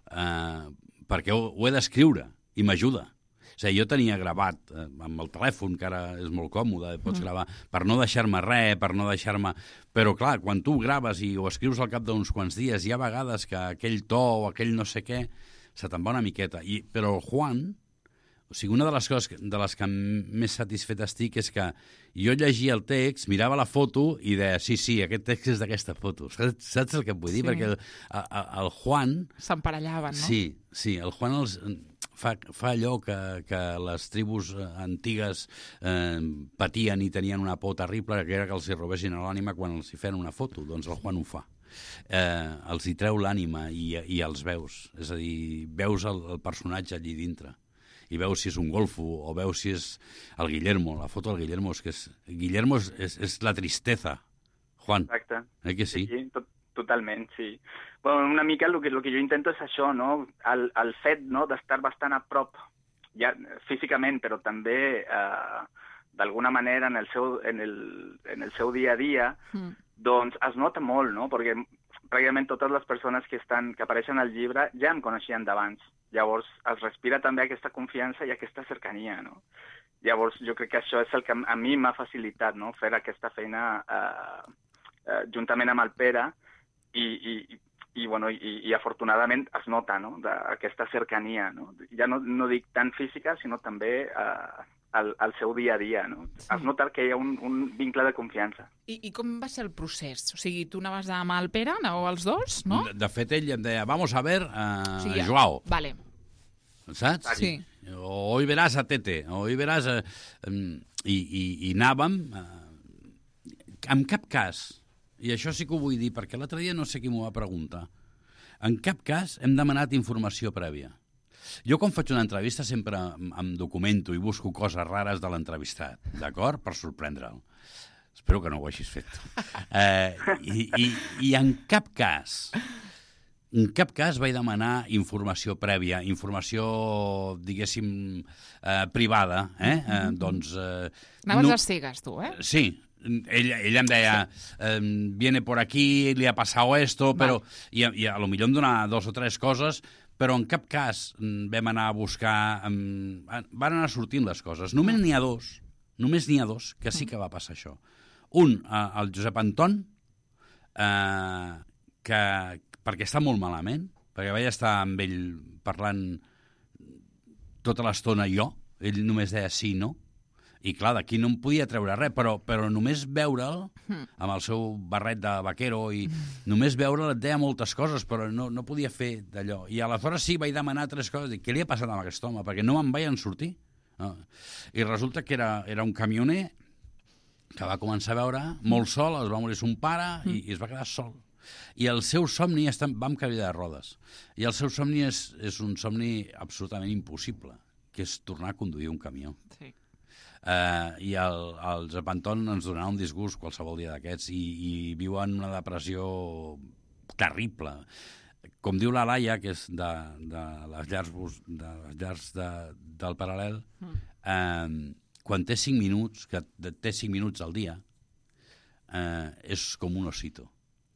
perquè ho he d'escriure, i m'ajuda. O sigui, jo tenia gravat amb el telèfon, que ara és molt còmode, pots gravar, per no deixar-me res, per no deixar-me... Però, clar, quan tu graves i ho escrius al cap d'uns quants dies, hi ha vegades que aquell to o aquell no sé què se te'n va una miqueta. Però el Juan... O sigui, una de les coses de les que més satisfet estic és que jo llegia el text, mirava la foto i deia, sí, aquest text és d'aquesta foto. Saps el que et vull dir? Sí. Perquè el Juan... S'emparelllaven, no? Sí, el Juan fa allò que les tribus antigues patien i tenien una por terrible, que era que els hi robessin l'ànima quan els hi feien una foto. Doncs el Juan ho fa. Els hi treu l'ànima i els veus. És a dir, veus el personatge allí dintre. I veus si és un golfo o veus si és el Guillermo. La foto del Guillermo és que Guillermo és la tristeza, Juan. Exacte. Que sí? Sí, totalment, sí. Bueno, una mica el que jo intento és això, no? El fet, no?, d'estar bastant a prop, ja físicament, però també d'alguna manera en el seu dia a dia, doncs es nota molt, no? Perquè pràcticament totes les persones que apareixen al llibre ja em coneixien d'abans. Llavors es respira també aquesta confiança i aquesta cercania, no? Llavors, jo crec que això és el que a mi m'ha facilitat, no?, fer aquesta feina juntament amb el Pere i afortunadament es nota, no?, aquesta cercania, no? Ja no dic tant física, sinó també al seu dia a dia, no? Sí. Es nota que hi ha un vincle de confiança. I com va ser el procés? O sigui, tu anaves amb el Pere, anàveu els dos, no? De fet, ell em deia, vamos a ver Joao. Vale. Saps? Sí. O hoy verás a Tete, o hoy verás... I anàvem... En cap cas, i això sí que ho vull dir, perquè l'altre dia no sé qui m'ho va preguntar, en cap cas hem demanat informació prèvia. Jo, quan faig una entrevista, sempre em documento i busco coses rares de l'entrevistat, d'acord? Per sorprendre'l. Espero que no ho hagis fet. I en cap cas vaig demanar informació prèvia, informació, diguéssim, privada. Doncs... Anaves a cegues, tu, eh? Sí. Ell em deia, viene por aquí, li ha passat esto, però... I a lo millor em donava 2 o 3 coses, però en cap cas vam anar a buscar... Van anar sortint les coses. Només n'hi ha 2 que sí que va passar això. Un, el Josep Anton, perquè està molt malament, perquè vaig estar amb ell parlant tota l'estona jo, ell només deia sí i no, i clar, d'aquí no em podia treure res, però només veure'l, amb el seu barret de vaquero, i només veure'l et deia moltes coses, però no podia fer d'allò. I aleshores sí, vaig demanar 3 coses, dic, què li ha passat amb aquest home? Perquè no me'n vaig sortir. No. I resulta que era un camioner que va començar a veure molt sol, es va morir son pare i es va quedar sol. I el seu somni, vam canviar de rodes, i el seu somni és un somni absolutament impossible, que és tornar a conduir un camió. Sí. I el Josep Anton ens donarà un disgust qualsevol dia d'aquests i viu en una depressió terrible. Com diu la Laia, que és de les llars del Paral·lel, quan té 5 minuts, que té 5 minuts al dia, és com un osito.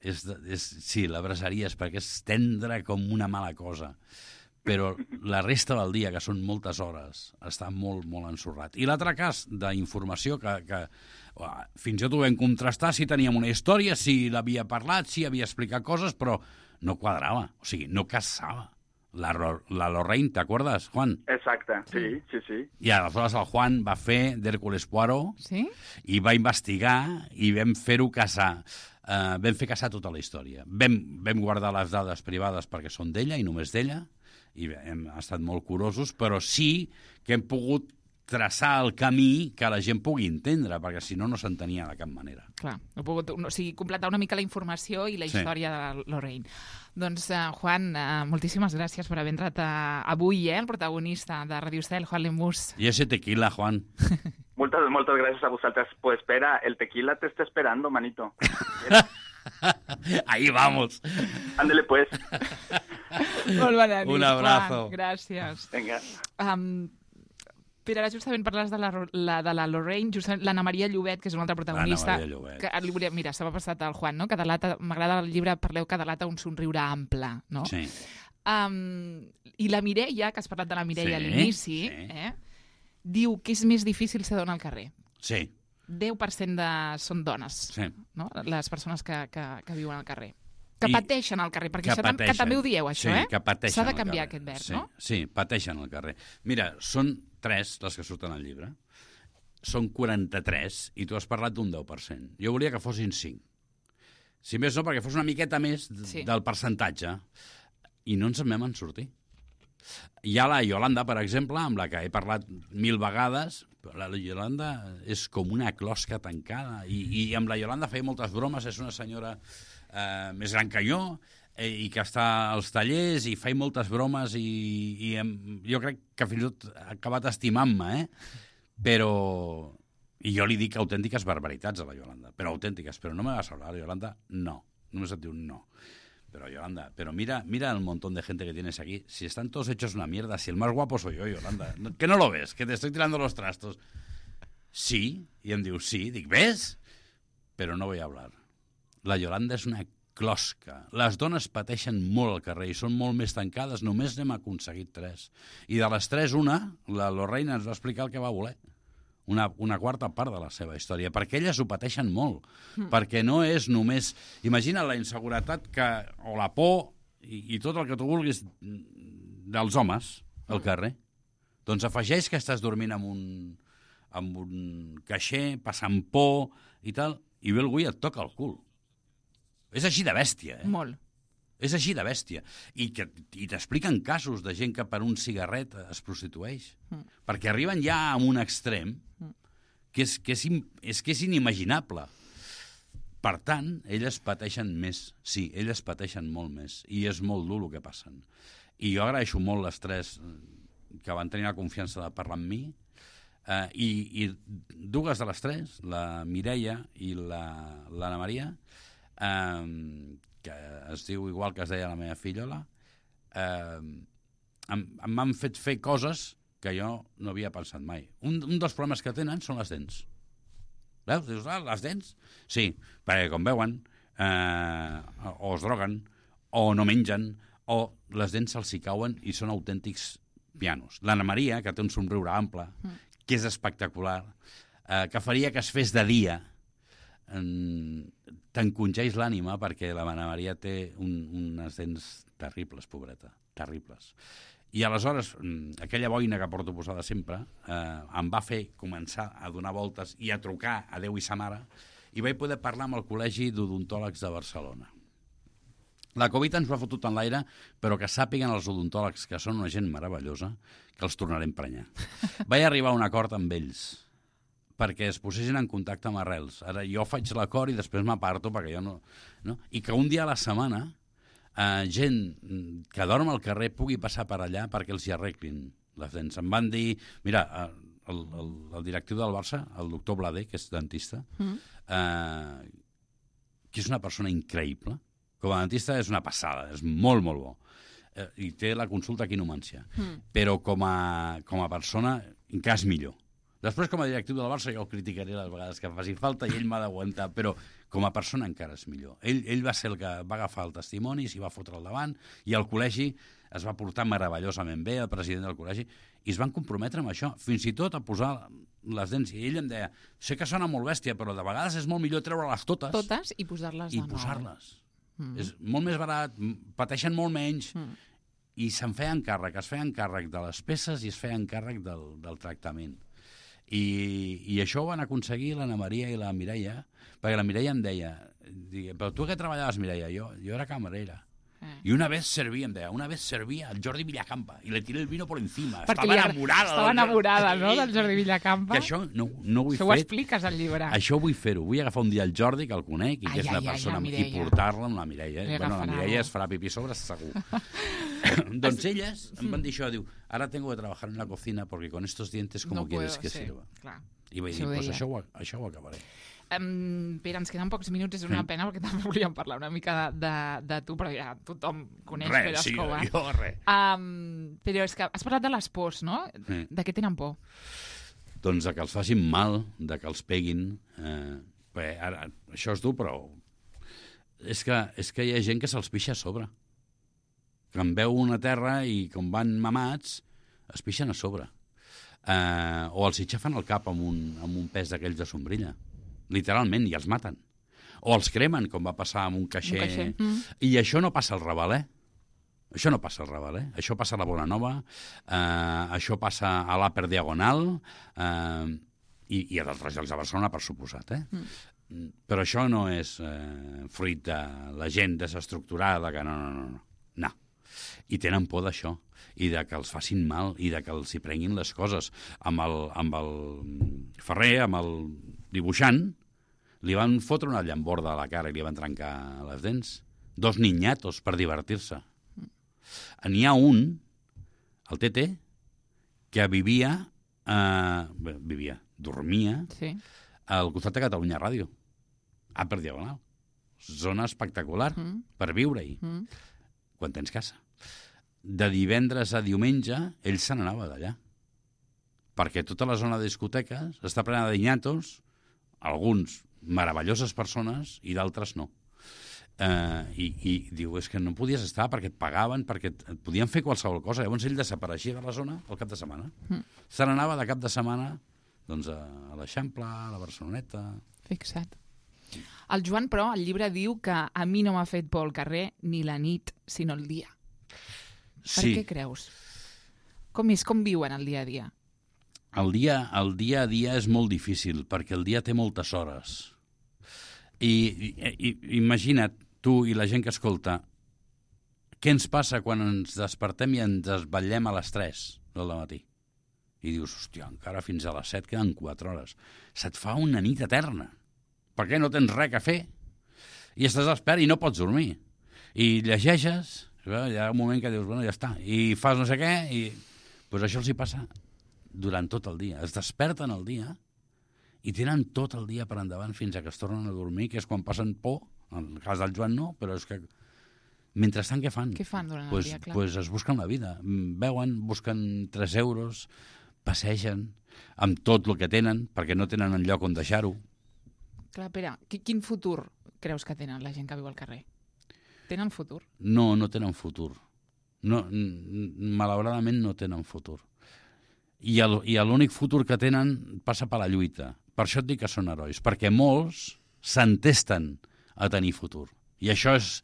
Sí, l'abraçaries perquè és tendre com una mala cosa, però la resta del dia, que són moltes hores, està molt, molt ensorrat. I l'altre cas d'informació que fins i tot ho vam contrastar, si teníem una història, si l'havia parlat, si havia explicat coses, però no quadrava, o sigui, no casava. La Lorraine, ¿t'acuerdas, Juan? Exacte, sí. I aleshores el Juan va fer d'Hércules Poirot, sí? I va investigar i vam fer-ho casar. Vam fer casar tota la història. Vam guardar les dades privades perquè són d'ella i només d'ella, i hem estat molt curosos, però sí que hem pogut traçar el camí que la gent pugui entendre, perquè si no, no s'entenia de cap manera. Clar, completar una mica la informació i la història de Lorraine. Doncs, Juan, moltíssimes gràcies per haver entrat avui, el protagonista de Radio Estel, Juan Lemus. I ese tequila, Juan. Moltes gràcies a vosaltres. Pues espera, el tequila te está esperando, manito. Ahí vamos. Ándale, pues. Molt bona nit, un abrazo. Juan. Gràcies. Vinga. Pere, ara justament parles de la Lorraine, justament l'Anna Maria Llobet, que és una altra protagonista. Mira, se m'ha passat al Juan, no? M'agrada el llibre, parleu que delata un somriure ample, no? Sí. I la Mireia, que has parlat de la Mireia a l'inici, diu que és més difícil ser dona al carrer. Sí. 10% són dones, no? Les persones que viuen al carrer. Que pateixen al carrer, perquè que també ho dieu, això, que pateixen. S'ha de canviar aquest vers, no? Sí, pateixen al carrer. Mira, són 3 les que surten al llibre. Són 43 i tu has parlat d'un 10%. Jo volia que fossin 5. Si més no, perquè fos una miqueta més del percentatge. I no ens en vam sortir. Hi ha la Yolanda, per exemple, amb la que he parlat 1000 vegades. La Yolanda és com una closca tancada. I amb la Yolanda feia moltes bromes. És una senyora més gran que jo i que està als tallers i fa moltes bromes i jo crec que fins i tot ha acabat estimant-me, però... I jo li dic autèntiques barbaritats a la Yolanda, però autèntiques, però no me vas a hablar, Yolanda, no. Només et diu no. Pero Yolanda, mira el montón de gente que tienes aquí. Si están todos hechos una mierda, si el más guapo soy yo, Yolanda. ¿Que no lo ves? Que te estoy tirando los trastos. Sí, i em diu sí. Dic, ¿ves? Però no voy a hablar. La Yolanda és una closca. Les dones pateixen molt al carrer i són molt més tancades. Només n'hem aconseguit 3. I de les 3, una, la Lorraine ens va explicar el que va voler. una quarta part de la seva història, perquè elles ho pateixen molt, perquè no és només... Imagina la inseguretat o la por i tot el que tu vulguis dels homes al carrer. Doncs afegeix que estàs dormint amb un caixer, passant por i tal, i ve algú i et toca el cul. És així de bèstia, Molt. És així de bèstia. I t'expliquen casos de gent que per un cigarret es prostitueix. Perquè arriben ja a un extrem que és inimaginable. Per tant, elles pateixen més. Sí, elles pateixen molt més. I és molt dur el que passen. I jo agraeixo molt les tres que van tenir la confiança de parlar amb mi. I dues de les tres, la Mireia i l'Anna Maria, que es diu igual que es deia la meva fillola, m'han fet fer coses que jo no havia pensat mai. Un dels problemes que tenen són les dents. Veus? Dius, les dents? Sí, perquè com veuen, o es droguen, o no mengen, o les dents se'ls hi cauen i són autèntics pianos. L'Anna Maria, que té un somriure ample, que és espectacular, que faria que es fes de dia, t'encongeix l'ànima perquè la Anna Maria té unes dents terribles, pobreta, terribles. I aleshores, aquella boina que porto posada sempre em va fer començar a donar voltes i a trucar a Déu i sa mare, i vaig poder parlar amb el Col·legi d'Odontòlegs de Barcelona. La Covid ens ho ha fotut en l'aire, però que sàpiguen els odontòlegs, que són una gent meravellosa, que els tornaré a emprenyar. Vaig arribar a un acord amb ells perquè es posessin en contacte amb Arrels. Ara jo faig l'acord i després m'aparto perquè jo no... I que un dia a la setmana gent que dorm al carrer pugui passar per allà perquè els hi arreglin les dents. Em van dir... Mira, el directiu del Barça, el doctor Blader, que és dentista, que és una persona increïble. Com a dentista és una passada, és molt, molt bo. I té la consulta aquí a Numància. Però com a persona encara és millor. Després, com a directiu del Barça, jo el criticaré les vegades que faci falta i ell m'ha d'aguantar, però com a persona encara és millor. Ell va ser el que va agafar el testimoni, s'hi va fotre al davant, i el col·legi es va portar meravellosament bé, el president del col·legi, i es van comprometre amb això, fins i tot a posar les dents. I ell em deia, sé que sona molt bèstia, però de vegades és molt millor treure-les totes. Totes i posar-les de nou. I posar-les. És molt més barat, pateixen molt menys, i se'n feien càrrec, es feien càrrec de les peces i es feien càrrec del tractament. I això ho van aconseguir l'Anna Maria i la Mireia, perquè la Mireia em deia, però tu què treballaves, Mireia? Jo era camarera. Y una vez servía el Jordi Villacampa y le tiré el vino por encima. Estava enamorada, no?, del Jordi Villacampa. Que això no ho he fet. Això ho expliques al llibre. Això vull fer-ho. Vull agafar un dia el Jordi, que el conec, i que és una persona, i portar-la amb la Mireia. Bueno, la Mireia es farà pipí sobre, segur. Doncs elles em van dir això, diu, ara tengo que trabajar en la cocina porque con estos dientes ¿cómo quieres que sirva? I vaig dir, pues això ho acabaré. Pere, ens queden pocs minuts, és una pena perquè també volíem parlar una mica de tu, però ja tothom coneix Pere Escobar. Però és que has parlat de les pors, no? De què tenen por? Doncs de que els facin mal, de que els peguin. Ara, això és dur, però és que hi ha gent que se'ls pixa a sobre. Que en veu una terra i com van mamats, es pixen a sobre. O els hi xafen el cap amb un pes d'aquells de sombrilla. Literalment, i els maten. O els cremen, com va passar amb un caixer. I això no passa al Raval, Això no passa al Raval, Això passa a la Bonanova, això passa a l'Upper Diagonal, i a d'altres llocs de Barcelona, per suposat, Però això no és fruit de la gent desestructurada, que no. I tenen por d'això, i de que els facin mal, i de que els hi prenguin les coses. Amb el Ferrer, amb el dibuixant, li van fotre una llamborda a la cara i li van trencar les dents. 2 niñatos per divertir-se. N'hi ha un, el Tete, que dormia al costat de Catalunya Ràdio, per Diagonal. Zona espectacular per viure-hi, quan tens casa. De divendres a diumenge, ell se n'anava d'allà. Perquè tota la zona de discoteques està plena de niñatos, alguns meravelloses persones i d'altres no. I diu, és que no podies estar perquè et pagaven, perquè et podien fer qualsevol cosa. Llavors ell desapareixia de la zona al cap de setmana. Se n'anava de cap de setmana Doncs a l'Eixample, a la Barceloneta... Fixa't. El Joan, però, al llibre diu que a mi no m'ha fet por el carrer ni la nit, sinó el dia. Per què creus? Com viuen el dia a dia? El dia a dia és molt difícil, perquè el dia té moltes hores. I imagina't, tu i la gent que escolta, què ens passa quan ens despertem i ens desvetllem a les 3 del matí? I dius, hòstia, encara fins a les 7 queden 4 hores. Se't fa una nit eterna. Per què no tens res a fer? I estàs despert i no pots dormir. I llegeixes, hi ha un moment que dius, bueno, ja està, i fas no sé què, i pues això els hi passa durant tot el dia. Es desperten el dia i tenen tot el dia per endavant fins a que es tornen a dormir, que és quan passen por. En el cas del Joan no, però és que mentrestant què fan? Què fan durant el dia, clar? Pues es busquen la vida. Veuen, busquen 3 euros, passegen amb tot el que tenen, perquè no tenen enlloc on deixar-ho. Clar, Pere, quin futur creus que tenen la gent que viu al carrer? Tenen futur? No tenen futur. No, malauradament no tenen futur. I l'únic futur que tenen passa per la lluita. Per això et dic que són herois, perquè molts s'entesten a tenir futur. I això és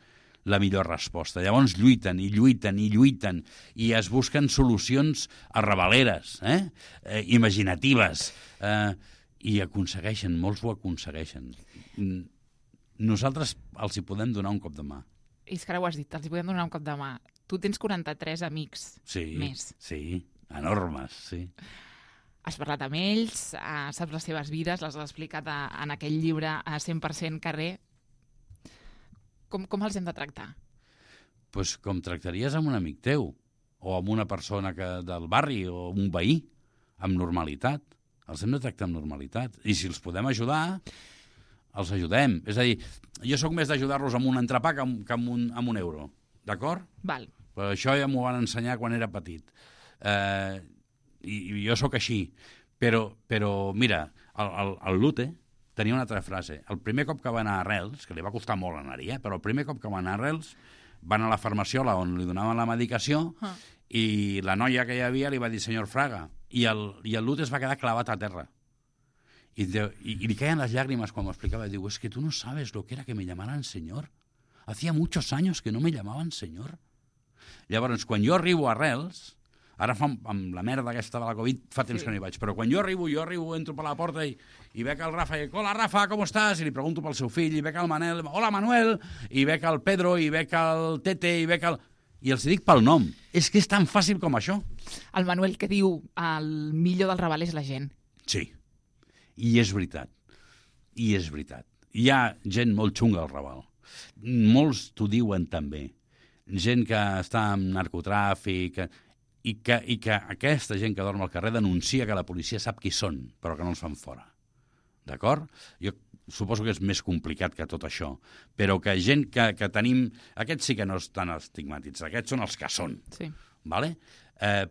la millor resposta. Llavors lluiten i lluiten i lluiten i es busquen solucions arrabaleres, imaginatives, i aconsegueixen, molts ho aconsegueixen. Nosaltres els hi podem donar un cop de mà. És que ara ho has dit, els hi podem donar un cop de mà. Tu tens 43 amics més. Sí, enormes, sí. Has parlat amb ells, saps les seves vides, les has explicat en aquell llibre a 100% carrer. Com els hem de tractar? Pues com tractaries amb un amic teu, o amb una persona del barri, o un veí, amb normalitat. Els hem de tractar amb normalitat. I si els podem ajudar, els ajudem. És a dir, jo sóc més d'ajudar-los amb un entrepà que amb un euro. D'acord? Val. Però això ja m'ho van ensenyar quan era petit. I jo sóc així. Però mira, el Lute tenia una altra frase. El primer cop que va anar a Arrels, que li va costar molt anar-hi, però el primer cop que va anar a Arrels, van a la farmaciola on li donaven la medicació i la noia que hi havia li va dir senyor Fraga, i el Lute es va quedar clavat a terra. I li caien les llàgrimes quan m'ho explicava. Diu, es que tú no sabes lo que era que me llamaran señor. Hacía muchos años que no me llamaban señor. Llavors, quan jo arribo a Arrels, ara amb la merda aquesta de la Covid fa temps que no hi vaig, però quan jo arribo, entro per la porta i veig el Rafa i dic, hola Rafa, com estàs? I li pregunto pel seu fill, i veig el Manel, hola Manuel, i veig el Pedro, i veig el Tete, i veig el... I els dic pel nom. És que és tan fàcil com això. El Manuel que diu, el millor del Raval és la gent. Sí, i és veritat. I és veritat. Hi ha gent molt xunga al Raval. Molts t'ho diuen també. Gent que està en narcotràfic... I que aquesta gent que dorm al carrer denuncia que la policia sap qui són, però que no els fan fora. D'acord? Jo suposo que és més complicat que tot això, però que gent que tenim... Aquests sí que no estan estigmatitzats, aquests són els que són. Sí. Vale?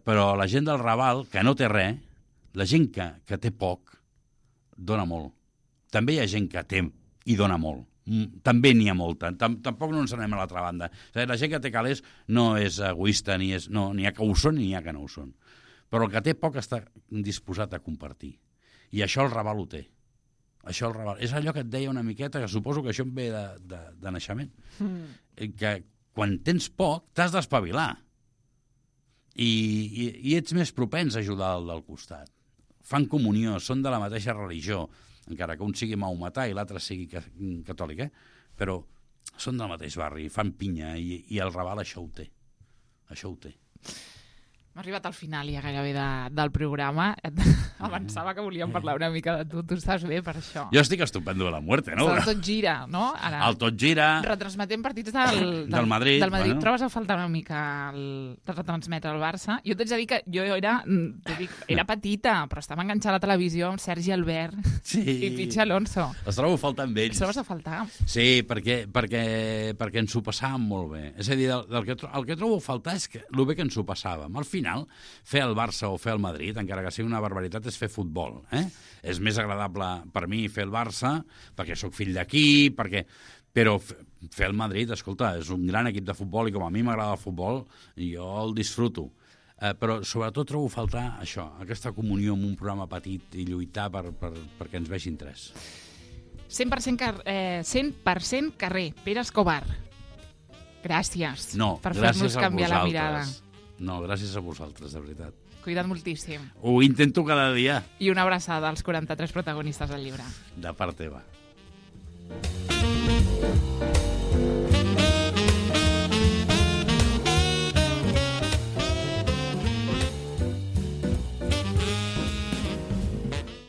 Però la gent del Raval, que no té res, la gent que té poc, dona molt. També hi ha gent que té i dona molt. També n'hi ha molta. Tampoc no ens anem a l'altra banda. La gent que té calés no és egoista, n'hi ha que ho són i n'hi ha que no ho són. Però el que té poc està disposat a compartir. I això el Raval ho té. Això el Raval. És allò que et deia una miqueta, que suposo que això em ve de naixement. Que quan tens poc, t'has d'espavilar. I ets més propens a ajudar el del costat. Fan comunió, són de la mateixa religió, encara que un sigui maometà i l'altre sigui catòlic, però són del mateix barri, fan pinya, i el Raval això ho té. Això ho té. Hem arribat al final ja gairebé del programa. Avançava que volíem parlar una mica de tu. Tu estàs bé per això. Jo estic estupendo de la muerte, no? El Tot Gira, no? Ara, el Tot Gira. Retransmetem partits del Madrid. Bueno. Trobes a faltar una mica de retransmetre el Barça? Jo t'haig de dir que jo era petita, però estava enganxada a la televisió amb Sergi Albert i Pichi Alonso. Els trobo a faltar amb ells. Els trobes a faltar? Sí, perquè ens ho passàvem molt bé. És a dir, el que trobo a faltar és el bé que ens ho passàvem. Al final, fer el Barça o fer el Madrid, encara que sigui una barbaritat, és fer futbol. És més agradable per mi fer el Barça, perquè sóc fill d'aquí, però fer el Madrid, escolta, és un gran equip de futbol i com a mi m'agrada el futbol, jo el disfruto. Però sobretot trobo a faltar això, aquesta comunió amb un programa petit i lluitar perquè ens vegin tres. 100% carrer, Pere Escobar. Gràcies per fer-nos canviar la mirada. No, gràcies a vosaltres, de veritat. Cuida't moltíssim. Ho intento cada dia. I una abraçada als 43 protagonistes del llibre. De part teva.